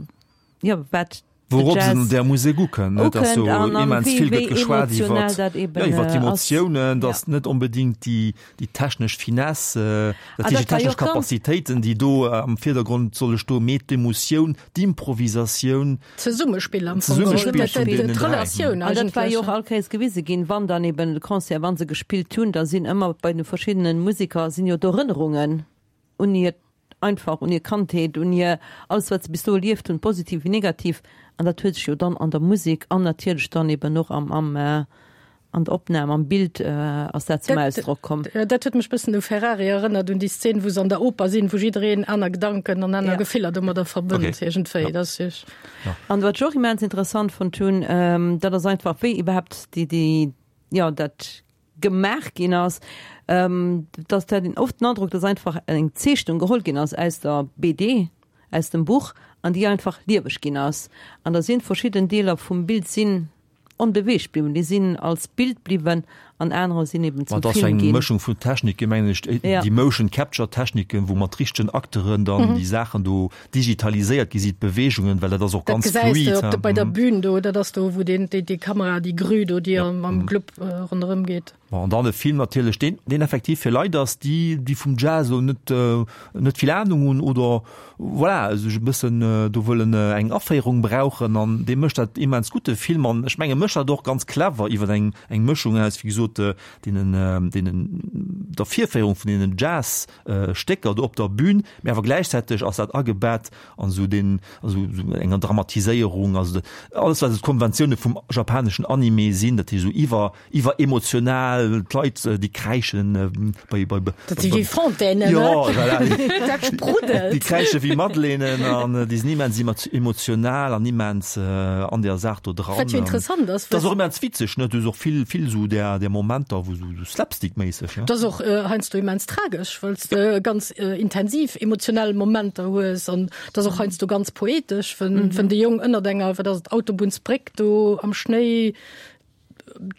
S4: jo, wat de
S2: Wourop se
S4: Jazz
S2: un där Musek ukënnt, ne, dass
S4: ukënnt
S2: do
S4: an, an
S2: immens
S4: wéi,
S2: vill
S4: wéi
S2: gëtt geschwat
S4: emotionell
S2: iwwert,
S4: dat eben
S2: jo, iwwert
S4: ass.
S2: d'Emotiounen,
S4: Ja.
S2: dass net onbedéngt déi, déi technesch Finesse, dat
S4: Ah,
S2: heescht déi
S4: dat war jo
S2: technesch
S4: och ganz.
S2: Capacitéiten, déi do am Virdergrond solle stoen, mee d'Emotioun, d'Improvisatioun,
S3: Zesummespill am Fong geholl,
S2: Zesummespill vun deenen 3.
S3: d'Relatioun
S4: An dat war jo och
S3: eigentlech.
S4: all Kéiers gewise ginn, wann dann eben de Concert, wa se gespillt hunn, da sinn ëmmer bei de verschiddene Museker sinn jo d'Erënnerungen un hiert, einfach un hir Kandheet, un hir alles wat se bis do erlieft hunn, positiv wéi negativ. An dat huet sech jo dann an der Musek an natierlech dann eben och am, am, An der Opnam, am Bild ass dat zum Ausdrock komm.
S3: Dat huet mech bëssen u Ferrari erënnert, un déi Szen, wou se an der Oper sinn, wou jiddereen aner Gedanken an aner Gefiller domadder verbënnt iergendwéi. Dat ass wierklech.
S4: An wat ech och immens interessant fonnt hunn, dat ass einfach, wéi iwwerhaapt déi, déi, jo, dat gemaach ginn ass, dass dat een oft den Androck, dass einfach eng Zeechnung geholl ginn ass aus der BD, aus dem Buch, an déi einfach lieweg ginn ass. An da sinn verschidden Deeler vum Bild sinn Onbeweegt bliwwen, déi sinn als Bild bliwwen an anerer sinn eben
S2: zum
S4: Film
S2: ginn. Et ass eng Mëschung vun Techniken, mengen ech, déi Motion Capture Techniken, wou mat richtegen Acteuren dann déi Saachen do digitaliséiert gi sinn, d'Beweegungen, well dat ass och ganz
S3: Dat
S2: fluid.
S3: gesäis de op bei der Bühn do, dat ass do wou deen déi Kamera, déi Grue do, déi am Club ronderëm geet.
S2: Bon, an dann e Film natierlech, deen, deen effektiv fir Leit ass, déi, déi vum Jazz elo net, net vill Ahnung hunn oder voilà, sech e bëssen do wëllen eng Aféierung brauchen. An dee mécht dat immens gutt, de Film. An ech menge mécht dat och ganz clever iwwer eng, eng Mëschung aus, wéi gesot, deenen, deenen, der Virféierung vun deenen Jazz-Stécker do op der Bühn, mä awer gläichzäiteg ass dat agebett an esou deen, also esou enger Dramatiséierung, also alles wat esou d'Konventioune vum japaneschen Anime sinn, dat heescht esou iwwer, Iwweremotional, d'Leit déi kräischen bei, bei,
S3: Dat si wéi Fontainen,
S2: jo, voilà.
S3: Dat spruddelt.
S2: Déi kräische wéi Madeleinen an déi sinn immens emotional an immens an der Saach do dran.
S3: Wat jo interessant ass.
S2: Dat ass och immens witzeg, ne? Du hues och vill, vill esou där, där Momenter, wou esou slapstick-méisseg, ne?
S3: Dat ass och heiansdo immens tragesch, well s de ganz intensiv emotionell Momenter hues an dat ass och heiansdo ganz poetesch, wenn, wenn de Jong ënnert enger, wat ass et, Autobunnsbréck do am Schnéi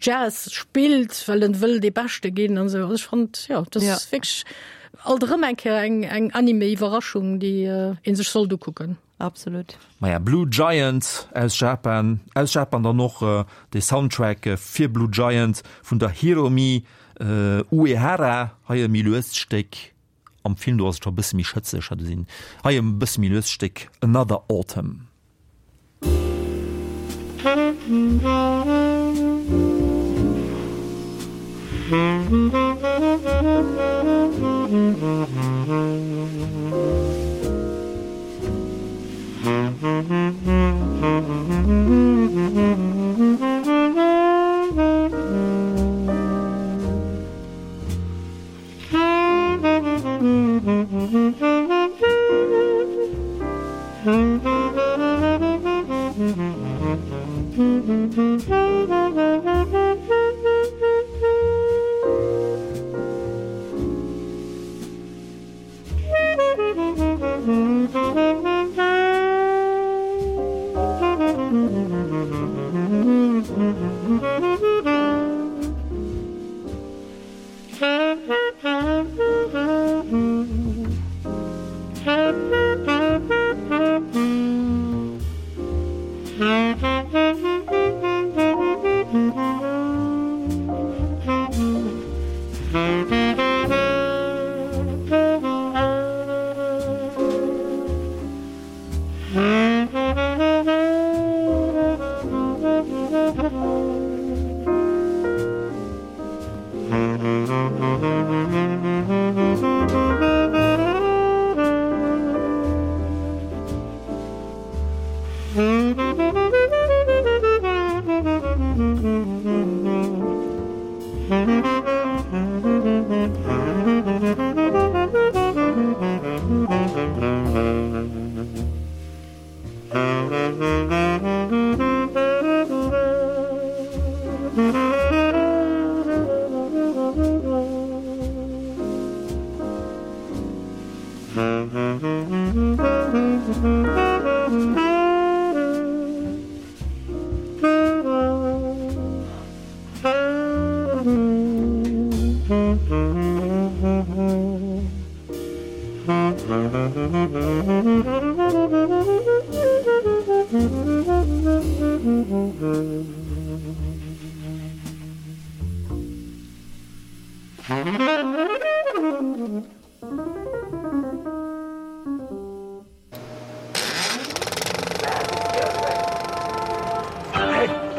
S3: Jazz spillt, well en wëll dee Beschte ginn an esou. Also ech fand jo, dat ass ja. wierklech alt erëm eng Kéier eng, eng Anime-Iwwerraschung, déi äh, een sech sollt ukucken.
S4: Absolut.
S2: Maja, Blue Giant aus Japan, aus Japan dann och äh, de Soundtrack äh, fir Blue Giant vun der Hiromi äh, Uehara, hei e méi luest Stéck. Am Film do ass et scho e bësse méi schëtzeg, hat sinn hei e bësse méi luest Stéck Another Autumn.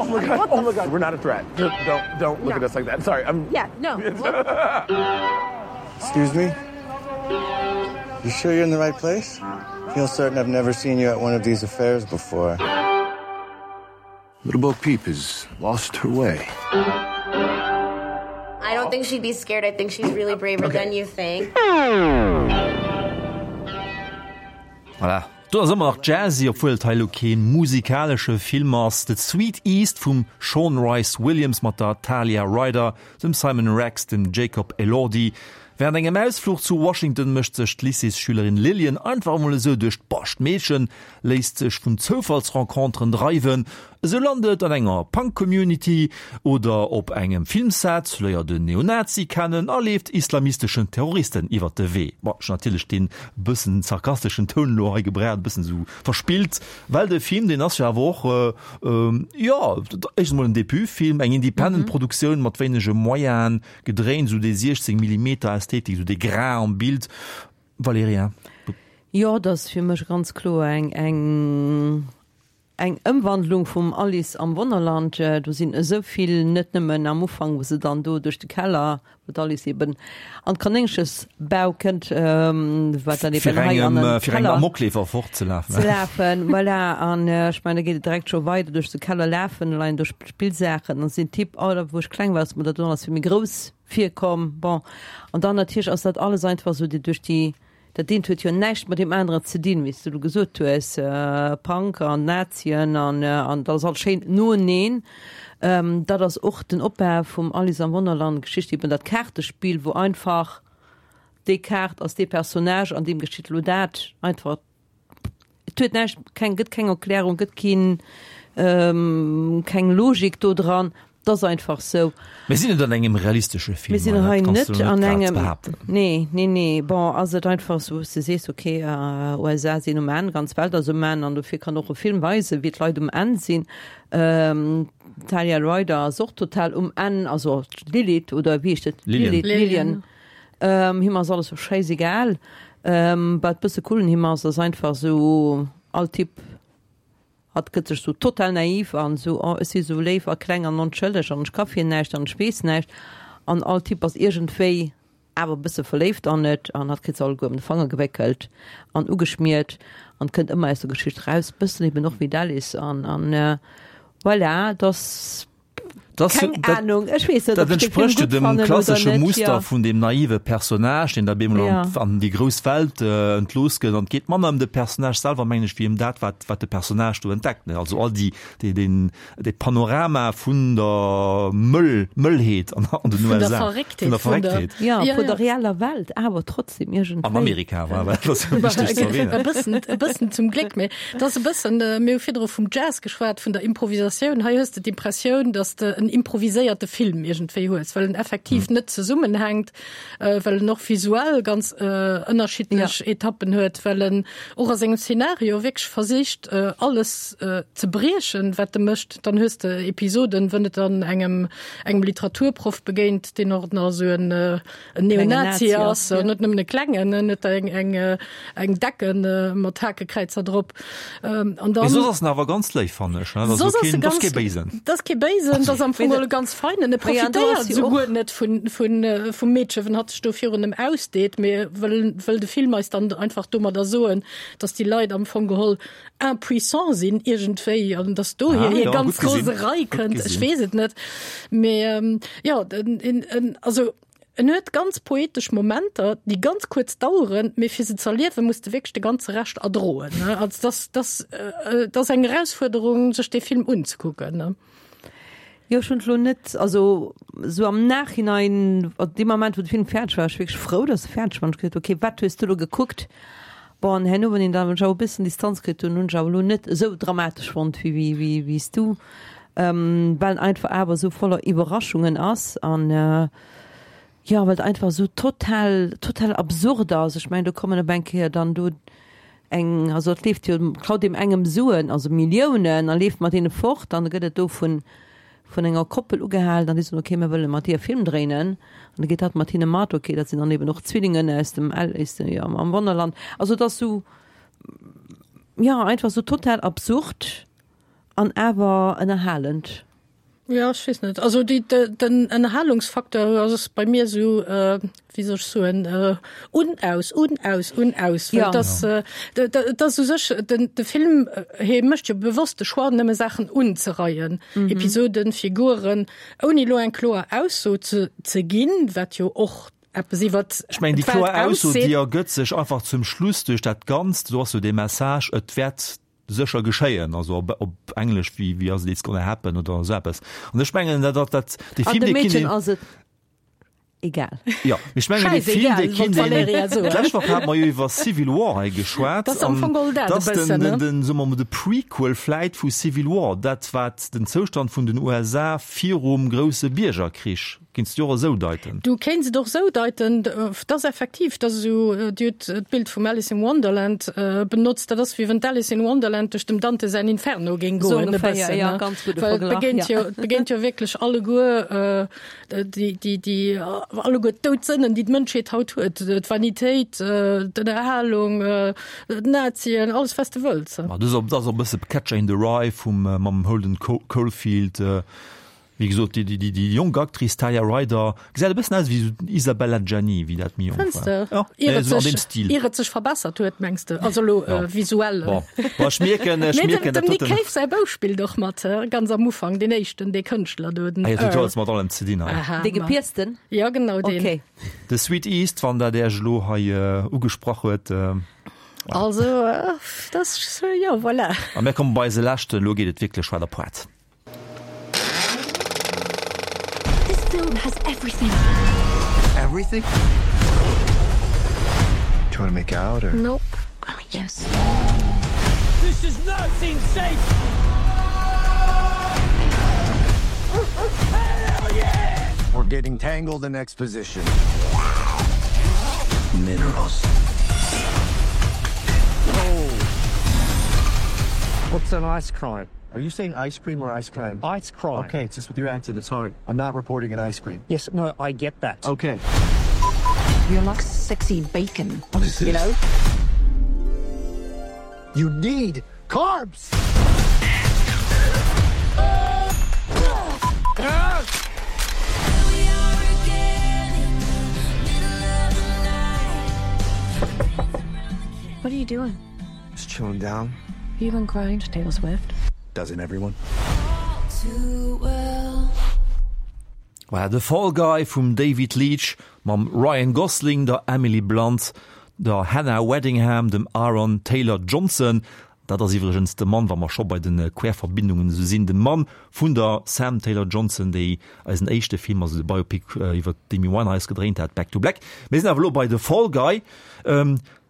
S10: Oh my god, oh my god, we're not a threat. Don't, don't, don't look no. at us like that. Sorry, I'm.
S3: Yeah, no.
S11: Excuse me? You sure you're in the right place? I feel certain I've never seen you at one of these affairs before.
S12: Little Bo Peep has lost her way.
S13: I don't think she'd be scared. I think she's really braver okay. than you think.
S2: Voilà. Do ass ëmmer nach jazzy, obwuel et hei elo kee musikalesche Film ass. The Sweet East vum Sean Rice Williams mat der Talia Ryder, dem Simon Rex, dem Jacob Elordi. Wärend engem Ausfluch zu Washington mécht sech d'Lycéesschülerin Lillian einfach emol esou duerch d'Bascht. D'Meedchen léisst sech vun Zoufallsrenconteren dreiwen. Esou lant et an enger Punk-Community oder op engem Filmset, léiert en Neonazi kennen a leeft islamisteschen Terroristen iwwert de Wee. Bon, ech hunn natierlech dee bëssen sarkasteschen Toun elo hei gebraucht, e bëssen esou verspillt, well de Film, deen ass jo awer och, jo, éischtens emol en Debutfilm, eng Independent-Produktioun mat wéinege Moyenen, Gedréint, esou déi 16 Millimeter Ästhetik, esou dee Grain am Bild. Valerija?
S4: Jo, dat ass fir mech ganz kloer eng, eng, eng Ëmwandlung vum Alice am Wonnerland. Do sinn esou vill, net nëmmen am Ufank, wou se dann do duerch de Keller, wou d'Alice eben an d'Kanéngchesbau kënnt, wat dann
S2: eben hei an den Fir engem Amokleefer fortzelafen.
S4: Ze lafen, voilà. An ech mengen, da geet et direkt scho weider, duerch de Keller lafen, da leien do Spillsaachen an sinn Typ, oh da wou ech kleng war ass mer dat do alles vill méi grouss virkomm. Bon, an dann natierlech ass dat alles einfach esou déi duerch déi, dat eent huet jo näischt mat deem aneren ze dinn, wéi s du elo gesot hues, Punk an Nazien an an dat ass alles schéin noeneen. Dat ass och den Opbau vum Alice am Wonnerland Geschicht, eben dat Kaartespill, wou einfach déi Kaart ass dee Personnage an deem geschitt elo dat, einfach. Et huet näischt, keng, gëtt keng Erklärung, gëtt keen, keng Logik do dran. Et ass einfach sou.
S2: Mir sinn net an engem realistesche Film.
S4: Mir sinn hei net an engem, nee, nee, nee. Bon, ass et einfach sou, wou s de sees, okay, USA sinn um Enn, ganz Welt ass um Enn an dofir kann och e Film weisen, wéi d'Leit um Enn sinn. D'Talia Ryder ass och total um Enn, also d'Lilith oder wéi heescht et?
S2: Lillian.
S4: Lillian. Him ass alles sou schäisegal. Wat bësse cool un him ass, ass einfach sou all Typ, hatt gëtt sech sou total naiv an sou, oh ech si sou léif a kleng an onschëlleg an ech ka fir näischt an ech weess näischt. An all Typ ass iergendwéi awer e bësse verléift an et an hatt kritt se alleguer ëm de Fanger gewéckelt an ugeschmiert an kënnt ëmmer aus der Geschicht raus, bëssen eben och wéi d'Alice an an voilà, dass.
S2: Das,
S4: Keng
S2: dat,
S4: Ahnung, ech weess net,
S2: dat
S4: ob ech de Film
S2: entsprécht jo
S4: gutt
S2: dem
S4: fannen oder
S2: klassesche
S4: net,
S2: Muster
S4: ja.
S2: vun dem naive Personnage, deen da bemol
S4: Ja.
S2: an, an déi grouss Welt äh, entlooss gëtt. An et geet manner ëm de Personnage selwer, mengen ech, wéi ëm dat, wat, wat de Personnage do entdeckt. Ne? Also all déi, déi, den, de Panorama vun der Mëll, Mëllheet an, an den
S3: Vun der
S2: USA.
S3: Verrécktheet,
S2: Vun der
S3: vun der-
S2: Verrécktheet.
S4: Ja,
S3: Ja,
S4: vun
S3: ja.
S4: der reeller Welt, awer trotzdem iergendwéi.
S2: An Amerika, voilà, dat ass jo wichteg ze
S3: E
S2: erwähnen.
S3: bëssen, e bëssen zum Gléck, mee et ass e bëssen, mir hu virdru vum Jazz geschwat, vun der Improvisatioun. Hei hues de d'Impressioun, dass de en. en improviséierte Film iergendwéi hues, well en effektiv net zesummenhänkt, well en och visuell ganz ënnerschiddlech Etappen huet, well en och a sengem Szenario wierklech versicht, alles ze briechen, wat e mécht. Dann hues de Episoden, wou et dann engem engem Literaturproff begéint, deen och nach esou en en Neonazi ass, net nëmmen e klengen, en huet eng eng eng Decken mat Hakekräizer drop. An dann.
S2: Mee soss ass en awer ganz léif, fannen ech, ne? Dat ass keen, dat ass kee Béisen.
S3: Dat ass kee Béisen, dat ass am Fong e ganz feinen. E profitéiert souguer net vun vun vum Meedche, wenn hatt sech do virun em ausdeet, mee wëll wëll de Film eis dann einfach domadder soen, datt déi Leit am Fong geholl impuissant sinn iergendwéi an datt dohier hir ganz Roserei kënnt. Ech weess et net. Mee jo, en en also en huet ganz poetesch Momenter, déi ganz kuerz daueren, mee fir se z'erliewen, muss de wierklech de ganze Rescht erdroen, ne. Also dass dass et ass eng Erausfuerderung, sech dee Film unzekucken, ne.
S4: Jo, ech hunn et elo net, also esou am Nachhinein, also dee Moment wou de Film fäerdeg war, war ech wierklech frou, datt e fäerdeg war an ech gesot, okay, wat hues du elo gekuckt? Bon, an herno, wann een dann ech awer e bëssen Distanz kritt hunn, hunn ech awer elo net esou dramatesch fonnt wéi wéi wéi wéi s du, well en einfach awer esou voller Iwwerraschungen ass an jo, well et einfach esou total total absurd ass. Ech mengen, do kommen op eng Kéier dann do eng, also et leeft jo, klaut deem engem Suen, also Milliounen a leeft mat deene fort an da gëtt et do vun vun enger Koppel ugehalen an déi soen, ok, mir wëlle mat dir e Film dréinen an da geet hatt mat hinne mat, ok, dat sinn dann eben och Zwillingen aus dem Alice jo am Wonnerland. Also et ass sou, jo, einfach sou total absurd an awer ënnerhalend.
S3: Jo, ech weess net. Also déi, den Ënnerhalungsfaktor ass bei mir sou, wéi soll ech soen, un, aus, un, aus, un, aus. Well et ass, et ass u sech, den, de Film, hie mécht jo bewosst de Choix, nëmme Saachen unzereien, Episoden, Figuren, ouni elo eng kloer Ausso ze, ze ginn, wat jo och eppes iwwert
S2: Ech mengen, déi
S3: d'Welt
S2: kloer Ausso,
S3: ausseet.
S2: déi ergëtt sech einfach zum Schluss duerch dat Ganzt, do ass jo dee Message, et wäert sécher geschéien, also op, op Englesch, wéi, wéi ass et, it's gonna happen oder esou eppes. An ech mengen, dat, dat, dat, dee
S4: An
S2: Film,
S4: dem
S2: dee kinnt
S4: Meedchen
S2: een.
S4: ass et Egal.
S2: Jo, mee ech mengen, dee Film, dee
S3: Schäisegal, wollt
S2: kinnt een.
S3: d'Valerija soen.
S2: D'lescht Woch hate mer jo iwwer Civil War hei geschwat.
S3: Dat ass am Fong geholl dat e
S2: An dat ass
S3: bëssen,
S2: den,
S3: ne?
S2: den, soe mer mol, de Prequel vläit vu Civil War, dat wat den Zoustand vun den USA virum grousse Biergerkrich, Kéints de och esou deiten?
S3: Du kéints et och esou deiten. Dat ass effektiv, dat ass esou, Dir hutt d'Bild vum Alice in Wonderland benotzt, dat ass wéi wann d'Alice in Wonderland duerch dem Dante säin Inferno géing
S4: Esou
S3: goen, e
S4: ongeféier,
S3: bëssen,
S4: jo,
S3: ne?
S4: ganz gudde
S3: Well et
S4: Verglach,
S3: begéint
S4: jo.
S3: jo, et begéint jo wierklech alleguer déi, déi, déi alleguer d'Doudsënnen, déi d'Mënschheet haut huet, d'Vanitéit, d'Ënnerhalung, d'Nazien, alles wat s de wëlls.
S2: Ma dat ass och e bësse Catcher in the Rye vum, mam Holden Caulfield. Wéi gesot, déi, déi, déi jonk Actrice Talia Ryder gesäit e bëssen aus wéi esou d'Isabelle Adjani, wéi dat méi jonk
S3: Fënns
S2: war.
S3: de?
S2: Ja,
S3: Ier et
S2: esou an
S3: sech,
S2: deem Stil.
S3: ier et sech verbessert huet, mengs de? Also elo
S2: Ja.
S3: visuell.
S2: Bon, bon, ech mierken, ech
S3: Mee dem,
S2: mierken,
S3: dem
S2: dat
S3: Nick
S2: doten.
S3: Cave säi Bouf spillt och mat, he? Ganz am Ufank, deen éischten, dee Kënschtler do, den
S2: Ah jo, dat huet jo
S3: Earl.
S2: alles mat allem ze dinn hei.
S3: Aha,
S4: Dee
S3: ma.
S4: Gepiersten?
S3: Ja, genau deen.
S4: Okay.
S2: The Sweet East, wann dat Iech elo hei ugesprach huet.
S3: Also, dat ass, jo, voilà.
S2: A mir komme bei eise leschten, elo geet et wierklech weider, Poart.
S1: This film has everything.
S12: Everything? Do you want to make out or?
S1: Nope. Oh, yes.
S5: This does not seem safe. Hell yeah!
S12: We're getting tangled in exposition. Minerals.
S14: Oh. What's an ice crime?
S11: Are you saying ice cream or ice crime?
S14: Ice crime.
S11: Okay, it's just with your accent, it's hard. I'm not reporting an ice cream.
S14: Yes, no, I get that.
S11: Okay.
S7: You're like sexy bacon.
S12: What is this?
S7: You know?
S12: You need carbs!
S6: What are you doing?
S12: Just chilling down.
S6: You been crying to Taylor Swift?
S12: Doesn't everyone?
S2: Voilà, The Fall Guy vum David Leitch mam Ryan Gosling, der Emily Blunt, der Hannah Waddingham, dem Aaron Taylor Johnson, dat ass iwwregens de Mann, wa mer scho bei de Querverbindungen esou sinn, de Mann vun der Sam Taylor Johnson, déi eisen éischte Film, also de Biopic iwwer d'Amy Winehouse gedréint hat, Back to Black. Mir sinn awer elo bei The Fall Guy.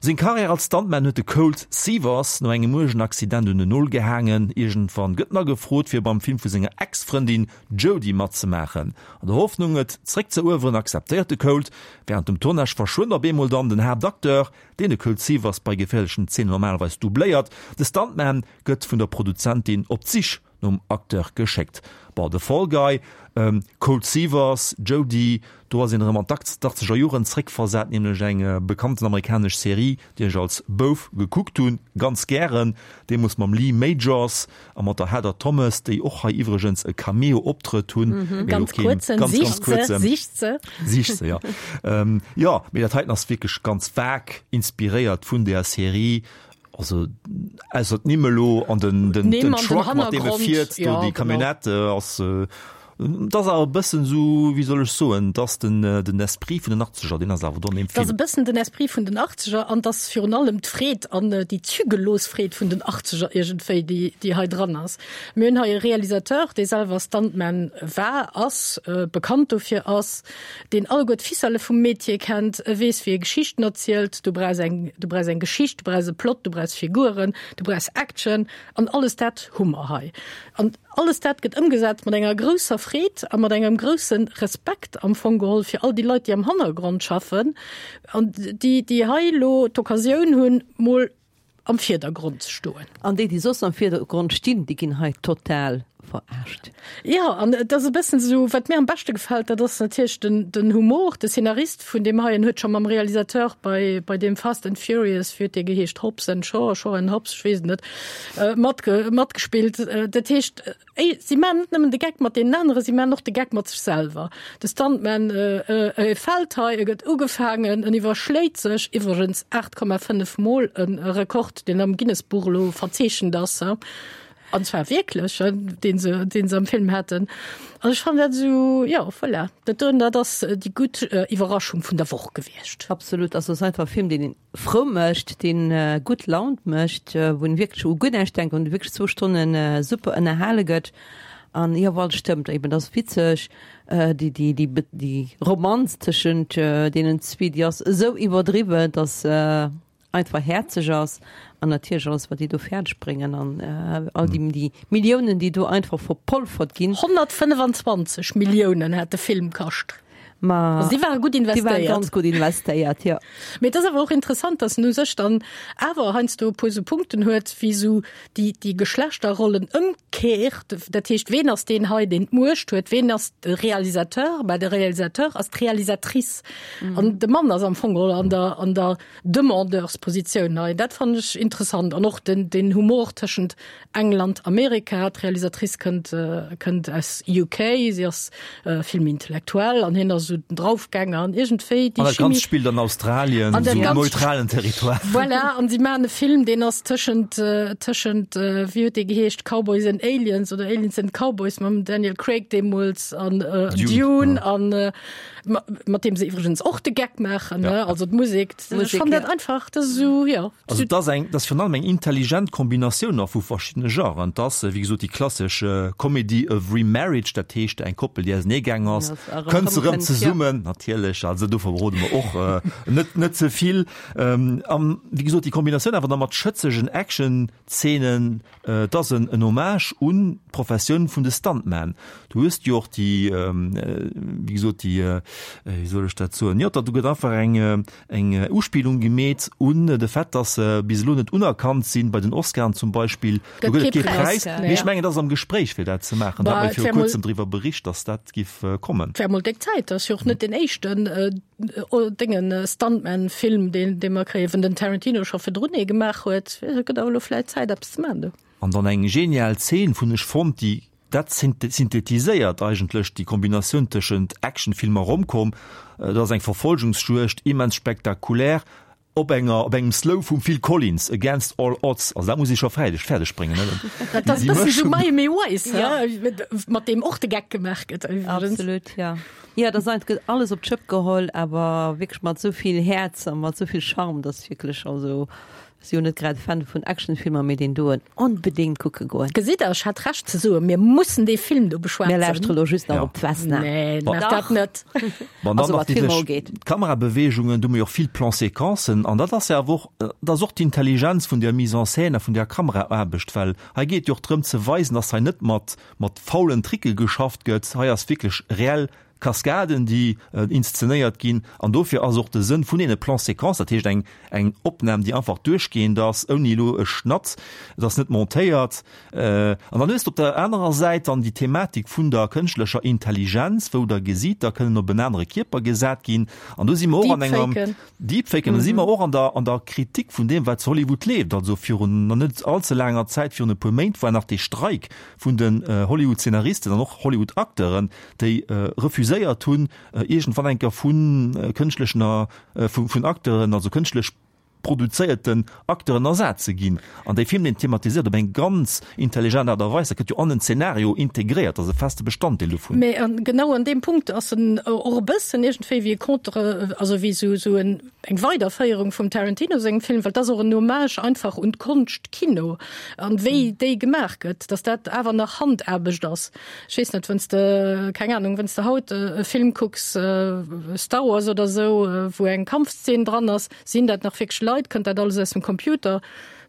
S2: Seng Karriär als Stuntman huet de Colt Seavers no engem uergen Accident un den Nol gehaangen. Iergendwann gëtt en agefrot, fir beim Film vu senger Ex-Frëndin Jodie matzemaachen. An der Hoffnung, et zeréckzëerueweren, akzeptéiert de Colt. Wärend dem Tournage verschwënnt op eemol dann den Haaptacteur, deen de Colt Seavers bei geféierlechen Zeenen normalerweis doubléiert. De Stuntman gëtt vun der Produzentin op d'Sich nom Acteur geschéckt. Bon, The Fall Guy, Colt Seavers, Jodie, do ass een erëm an d'Achtzeger Joren zréckversat, nämlech eng bekannten amerikanesch Serie, déi ech als Bouf gekuckt hunn, ganz gären, deemools mam Lee Majors a mat der Heather Thomas, déi och hei iwwregens e Cameo-Optrëtt hunn, mee elo
S3: Ganz
S2: keen,
S3: kuerzen,
S2: ganz, ganz
S3: sicht se,
S2: kuerzen.
S3: sicht se.
S2: Sicht se, jo. Jo, mee dat heiten ass wierklech ganz vag inspiréiert vun där Serie. Also ausser d'Nimm elo an den, den,
S3: D'Nimm
S2: den
S3: an den
S2: Truck, mat deem e
S3: Hannergrond,
S2: fiert, do
S3: ja,
S2: déi
S3: genau.
S2: Camionnette ass, et ass awer e bëssen esou, wéi soll ech soen, et ass den, den Esprit vun den Achtzeger, deen ass awer do an deem
S3: Et ass e
S2: Film.
S3: bëssen den Esprit vun den Achtzeger an et ass virun allem d'Freed an déi zügellos Freed vun den Achtzeger iergendwéi, déi, déi hei dran ass. Mir hunn hei e Realisateur, dee selwer Stuntman war, ass, bekannt dofir ass, deen alleguer d'Ficelle vum Metier kennt, e weess wéi e Geschichten erzielt, du brauchs eng, du brauchs eng Geschicht, du brauchs e Plot, du brauchs Figuren, du brauchs Action an alles dat hu mer hei. An alles dat gëtt ëmgesat mat enger grousser Freed a mat engem grousse Respekt am Fong geholl fir all déi Leit, déi am Hannergrond schaffen an déi, déi hei elo d'Occasioun hunn, mol am Virdergrond ze stoen.
S4: An déi, déi soss am Virdergrond stinn, déi ginn hei total verarscht.
S3: Jo, an et ass e bëssen esou, wat mir am beschte gefält, dat ass natierlech den, den Humor. De Szenarist vun deem heien huet scho mam Realisateur bei, bei deem Fast and Furious, wéi huet dee geheescht, Hobbs and Shaw, Shaw and Hobbs, ech weess et net, matge, matgespillt. Dat heescht, Éi, si maachen net nëmmen de Geck mat deenen aneren, si maachen och de Geck mat sech selwer. De Stuntman, e fält hei, e gëtt ugefaangen, en iwwerschléit sech, iwwregens 8,5 Mol, e Rekord, deen am Guinness-Buch elo verzeechent ass, an zwar wierklech, deen se, deen se am Film haten. An ech fannen dat esou, jo, voilà, dat doen, dat ass déi gutt Iwwerraschung vun der Woch gewiescht.
S4: Absolut, also ass einfach e Film, deen een frou mécht, deen gutt Laun mécht, wou een wierklech u guer näischt denkt, wou een wierklech zwou Stonne super ënnerhale gëtt. An jo, voilà, stëmmt eben, et ass witzeg, déi, déi, déi, déi Romanz tëschent deenen zwee, déi ass esou iwwerdriwwen, dass se einfach häerzeg ass. An natierlech alles, wat déi do fäerdeg bréngen an all déi, déi Milliounen, déi do einfach verpolfert ginn.
S3: 125 Milliounen hat de Film kascht.
S4: Ma
S3: Also déi ware gutt
S4: déi waren
S3: investéiert.
S4: ganz gutt investéiert, jo.
S3: Mee et ass awer och interessant, dass en u sech dann awer heiansdo e puer esou Punkten huet, wéi esou déi, déi Geschlechterrollen ëmkeert. Dat heescht, ween ass deen hei, deen d'Muecht huet? Ween ass de Realisateur? Bah, de Realisateur ass d'Realisatrice. An de Mann ass am Fong geholl an der, an der Demandeurspositioun hei. Dat fannen ech interessant. An och den, den Humor tëschent England, Amerika, d'Realisatrice kënnt, kënnt aus UK, si ass vill méi intellektuell an hien ass esou den Draufgänger an iergendwéi
S2: déi Chimie. An dat Ganzt spillt an Australien,
S3: An dat
S2: esou
S3: Ganzt
S2: neutralen Territoire.
S3: Voilà, an si maachen e Film, deen ass tëschent, tëschent, wéi huet dee geheescht, Cowboys and Aliens oder Aliens and Cowboys mam Daniel Craig deemools an
S2: Dune,
S3: Dune an mat deem se iwwregens och de Geck maachen, ne? Also d'Musek, ech fannen dat einfach, dat ass esou, jo.
S2: Also et ass eng, et ass virun allem eng intelligent Kombinatioun och vu verschiddene Genren. Et ass, wéi gesot, déi klassesch Comedy of Remarriage, dat heescht eng Koppel, déi auseneegaang ass, kënnt se erëm zesummen, natierlech, also do verrode mer och net, net ze vill. An wéi gesot, déi Kombinatioun awer da mat schëtzegen Action-Zeenen, Et ass en Hommage un d'Professioun vun de Stuntmen. Du hues jo och déi, wéi gesot, déi, wéi soll ech dat soen, jo, do gëtt einfach eng, eng Uspillung gemeet un de Fait, dass se bis elo net unerkannt sinn, bei den Oscaren zum Beispill. Do gëtt et kee Präis. Mee ech mengen, et ass am Gespréich, fir dat ze maachen. Do hat mer viru Kuerzem driwwer bericht, dass dat giff kommen.
S3: Et wär mol déck Zäit. Dat ass jo och net deen éischten Déngen Stuntman Film deen dee mer kréien, wenn den Tarantino scho virdrun ee gemaach huet, et gëtt awer elo vläit Zäit eppes ze maachen do.
S2: An dann eng genial Zeen vun ech fonnt, déi dat synthetiséiert eigentlech déi Kombinatioun tëschent Actionfilm a Romcom. Et ass eng Verfolgungsjuegd, immens spektakulär, Op enger, op engem Slow vum Phil Collins, Against All Odds, also dat muss ee scho fäerdeg, fäerdeg bréngen, ne?
S3: Dat ass e bëssen esou Miami Vice, he? Mat deem och de Geck gemaach gëtt iwwregens.
S4: Absolut, ja. Jo, dat ass einfach, gëtt alles op d'Schëpp geholl, awer wierklech mat esou vill Häerz a mat esou vill Charme, dass wierklech, also. Si jo net grad Fan vun Actionfilmer, mee deen doen onbedéngt kucke goen.
S3: Gesitt der, ech hat Recht ze soen, mir mussen dee Film do beschwätzen.
S4: Mir lauschtere lo just nach op d'Vesna.
S3: Nee, maach dat net.
S2: Bon, dann nach déi D'Kamerabeweegungen, do hu mir och vill Plan-séquencen an dat ass jo awer och, dat ass och d'Intelligenz vun der Mise en scène a vun der Kameraaarbecht, well hei geet et jo och drëm ze weisen, dass hei net mat mat faulen Tricke geschafft gëtt, hei ass wierklech reell Kaskaden, déi inszenéiert ginn an dofir ass och de Sënn vun deene Plans-séquences, dat heescht eng eng Opnam, déi einfach duerchgehend ass, ouni elo e Schnatt, et ass net montéiert. An dann hues de op der anerer Säit dann déi Thematik vun der kënschtlecher Intelligenz, wou da Gesiiter kënnen op en anere Kierper gesat ginn an do si mer och an enger. Deepfaken, do si mer och an der, an der Kritik vun deem, wat zu Hollywood leeft. Also virun nach net allze laanger Zäit, virun e puer Méint, war nach dee Streik vun den Hollywood-Zeenaristen an och Hollywood-Acteuren, déi refuséiert hunn, iergendwann eng Kéier vu kënschtlechen, vun Acteuren, also kënschtlech produzéierten Acteuren ersat ze ginn. An dee Film, deen thematiséiert op eng ganz intelligent Aart a Weis, dat gëtt jo an den Zeenario integréiert, dat ass e feste Bestanddeel dovun.
S3: Mä genau an deem Punkt ass en och e bëssen iergendwéi wéi e Contre, also wéi esou esou en, eng Weiderféierung vum Tarantino sengem Film, well et ass och en Hommage einfach un d'Konscht Kino an wéi déi gemaach gëtt, datt dat awer nach Handaarbecht ass. Ech weess net, wann s de, keng Ahnung, wann s de haut e Film kucks, Star Wars oder esou, wou eng Kampfszene dran ass, Sinn dat nach wierklech Leit? Kënnt dat alles aus dem Computer?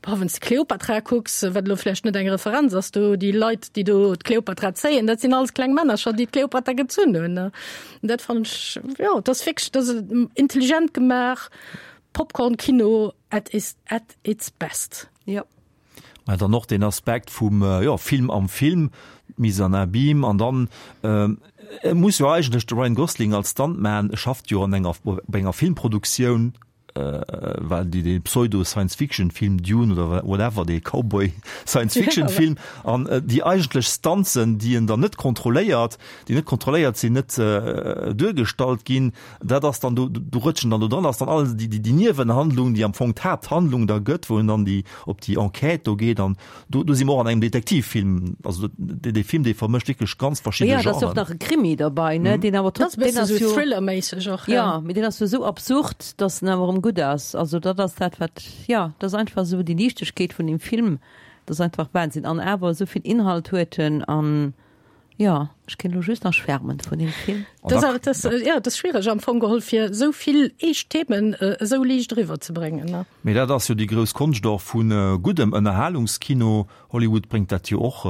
S3: Boah, wann s de Kleopatra kucks, wat elo vläicht net eng Referenz ass, do déi Leit, déi do d'Kleopatra zéien, dat sinn alles kleng Männercher, déi d'Kleopatra gezunn hunn. An dat fannen ech, jo, dat ass wierklech, dat ass intelligent gemaach, Popcorn-Kino at is, at its best.
S4: Jo.
S2: Mä dann och den Aspekt vum, jo, Film am Film, d'Mise en abîme an dann, e muss jo eigentlech, de Ryan Gosling als Stuntman, e schafft jo an enger, bei enger Filmproduktioun, well déi, dee Pseudo-Science-Fiction-Film Dune oder whatever, dee Cowboy-Science-Fiction-Film, an déi eigentlech Stunts, déi en dann net kontrolléiert, déi net kontrolléiert sinn, net duergestallt ginn, Dat ass dann do, do rëtschen dann do dran, ass dann alles déi, déi, déi Niewenhandlung, déi am Fong d'Haapthandlung da gëtt, wou en dann déi, op déi Enquête do geet an do, do si mer och an engem Detektivfilm. Also dee, dee Film, dee vermëscht wierklech ganz verschidde
S4: Genren. Jo, da ass och nach e Krimi derbei, ne, deen awer
S3: trotz, deen ass jo Thriller-méisseg och,
S4: jo. Jo, mee deen ass jo esou absurd, datt en awer erëm gutt ass. Also dat ass dat, wat, jo, dat ass einfach esou déi Liichtegkeet vun deem Film, dat ass einfach Wahnsinn. An awer esou vill Inhalt huet en an. Jo, ech kéint elo just nach schwärmen vun deem Film.
S3: Dat ass, dat ass, jo, dat ass schwiereg am Fong geholl, fir esou vill eescht Themen esou liicht eriwwer ze bréngen, ne?
S2: Mee dat ass jo déi grouss Konscht och vu guddem Ënnerhalungskino. Hollywood bréngt dat jo och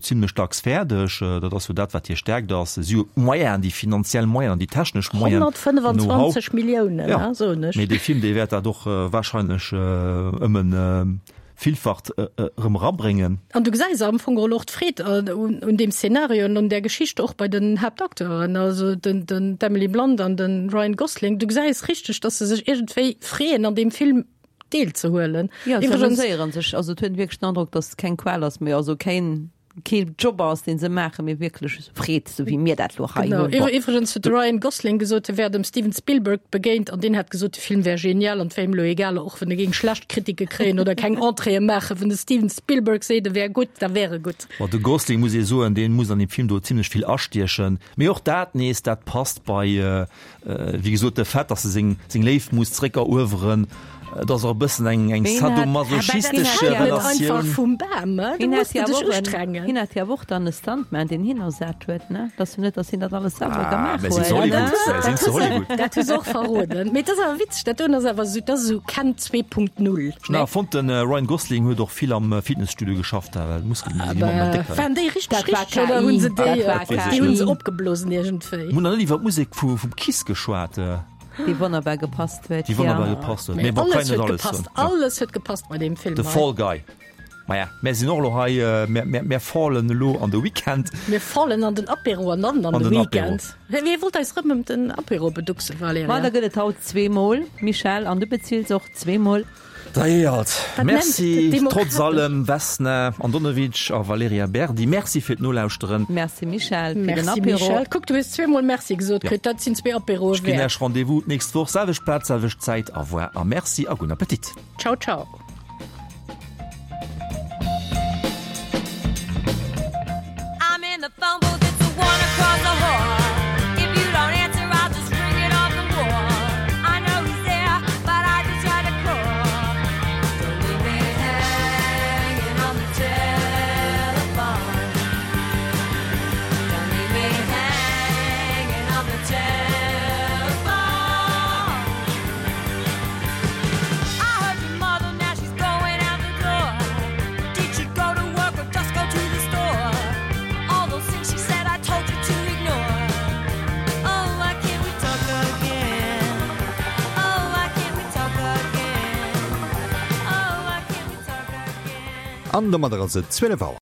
S2: zimlech dacks fäerdeg. Dat ass jo dat, wat hir Stärkt ass. Si hu d'Moyenen, déi finanziell Moyenen an déi technesch Moyenen, den
S3: Know-how. 125 Milliounen, ne, soen ech.
S2: Mee dee Film, dee wäert dat och wahrscheinlech ëm en Villfacht erëm erabréngen.
S3: An du gesäis am Fong geholl och d'Freed un deem Szenario an un där Geschicht och bei den Haaptakteuren, also den d'Emily Blunt an de Ryan Gosling. Du gesäis richteg, dass se sech iergendwéi freeën an deem Film deelzehuelen.
S4: Jo, se amuséieren sech. Also et huet een wierklech den Androck, dass et keng Qual ass, mee also keen kee Job ass, deen se maachen, mee wierklech Freed, sou wéi mir dat lo hei hunn.
S3: Genau. Iwwregens huet de Ryan Gosling gesot, e wär dem Steven Spielberg begéint an deen hätt gesot, de Film wär genial an et wär him elo egal, och wann e géing schlecht Kritike kréien oder keng Entréeë maachen, wann de Steven Spielberg seet, e wär gutt, da wär e gutt.
S2: Bon, de Gosling, muss ee soen, dee muss an deem Film do zimlech vill astiechen. Mee och dat nees, dat passt bei Wéi gesot, de Fait, datt e seng Léift muss zréckerueweren, et ass och e bëssen eng sadomasochistesch Relatioun.
S4: Hien hat jo awer och dann e Stuntman, deen hien ersat huet, ne? Et ass jo net, datt hien dat alles selwer gemaach
S2: huet. Mir sinn zu Hollywood.
S3: Dat hu se och verroden. Mee et ass awer witzeg, dat doen ass awer esou, dat ass esou Ken 2.0.
S2: Ech hunn awer fonnt, de Ryan Gosling huet och vill am Fitnesstudio geschafft, well d'Muskelen sinn ëmmer méi déck.
S3: Waren déi richteg richteg oder hu se déi, déi hu se opgeblosen iergendwéi?
S2: Mir hunn nach net iwwer d'Musek vum Kiss geschwat.
S4: Déi wonnerbar gepasst huet.
S2: Déi wonnerbar gepasst huet. Mee bon, kann een net alles soen.
S3: Alles huet gepasst bei deem Film.
S2: The Fall Guy. Maja, mär sinn och elo hei, mär fallen elo an de Weekend.
S3: Mir fallen an den Apéro an dann an de Weekend. Wie wollt eis rëm ëm den Apéro beducksen, Valerija?
S4: Ma da gëtt et haut zweemol, Michèle, an du bezills och zweemol.
S2: Dajee alt. Merci trotz allem Vesna Andonovic a Valerija Berdi. Merci fir d'Nolauschteren.
S4: Merci Michèle fir den Apéro.
S3: Merci Michèle. Kuck, du hues zweemol Merci gesot kritt. Dat sinn zwee Apéroe
S2: wäert. Ech ginn Iech Rendez-vous d'nächst Woch, selwecht Plaz, selwecht Zäit. Au revoir a merci a gudden Appetit.
S3: Ciao, ciao.
S15: An domadder ass et 12 Auer.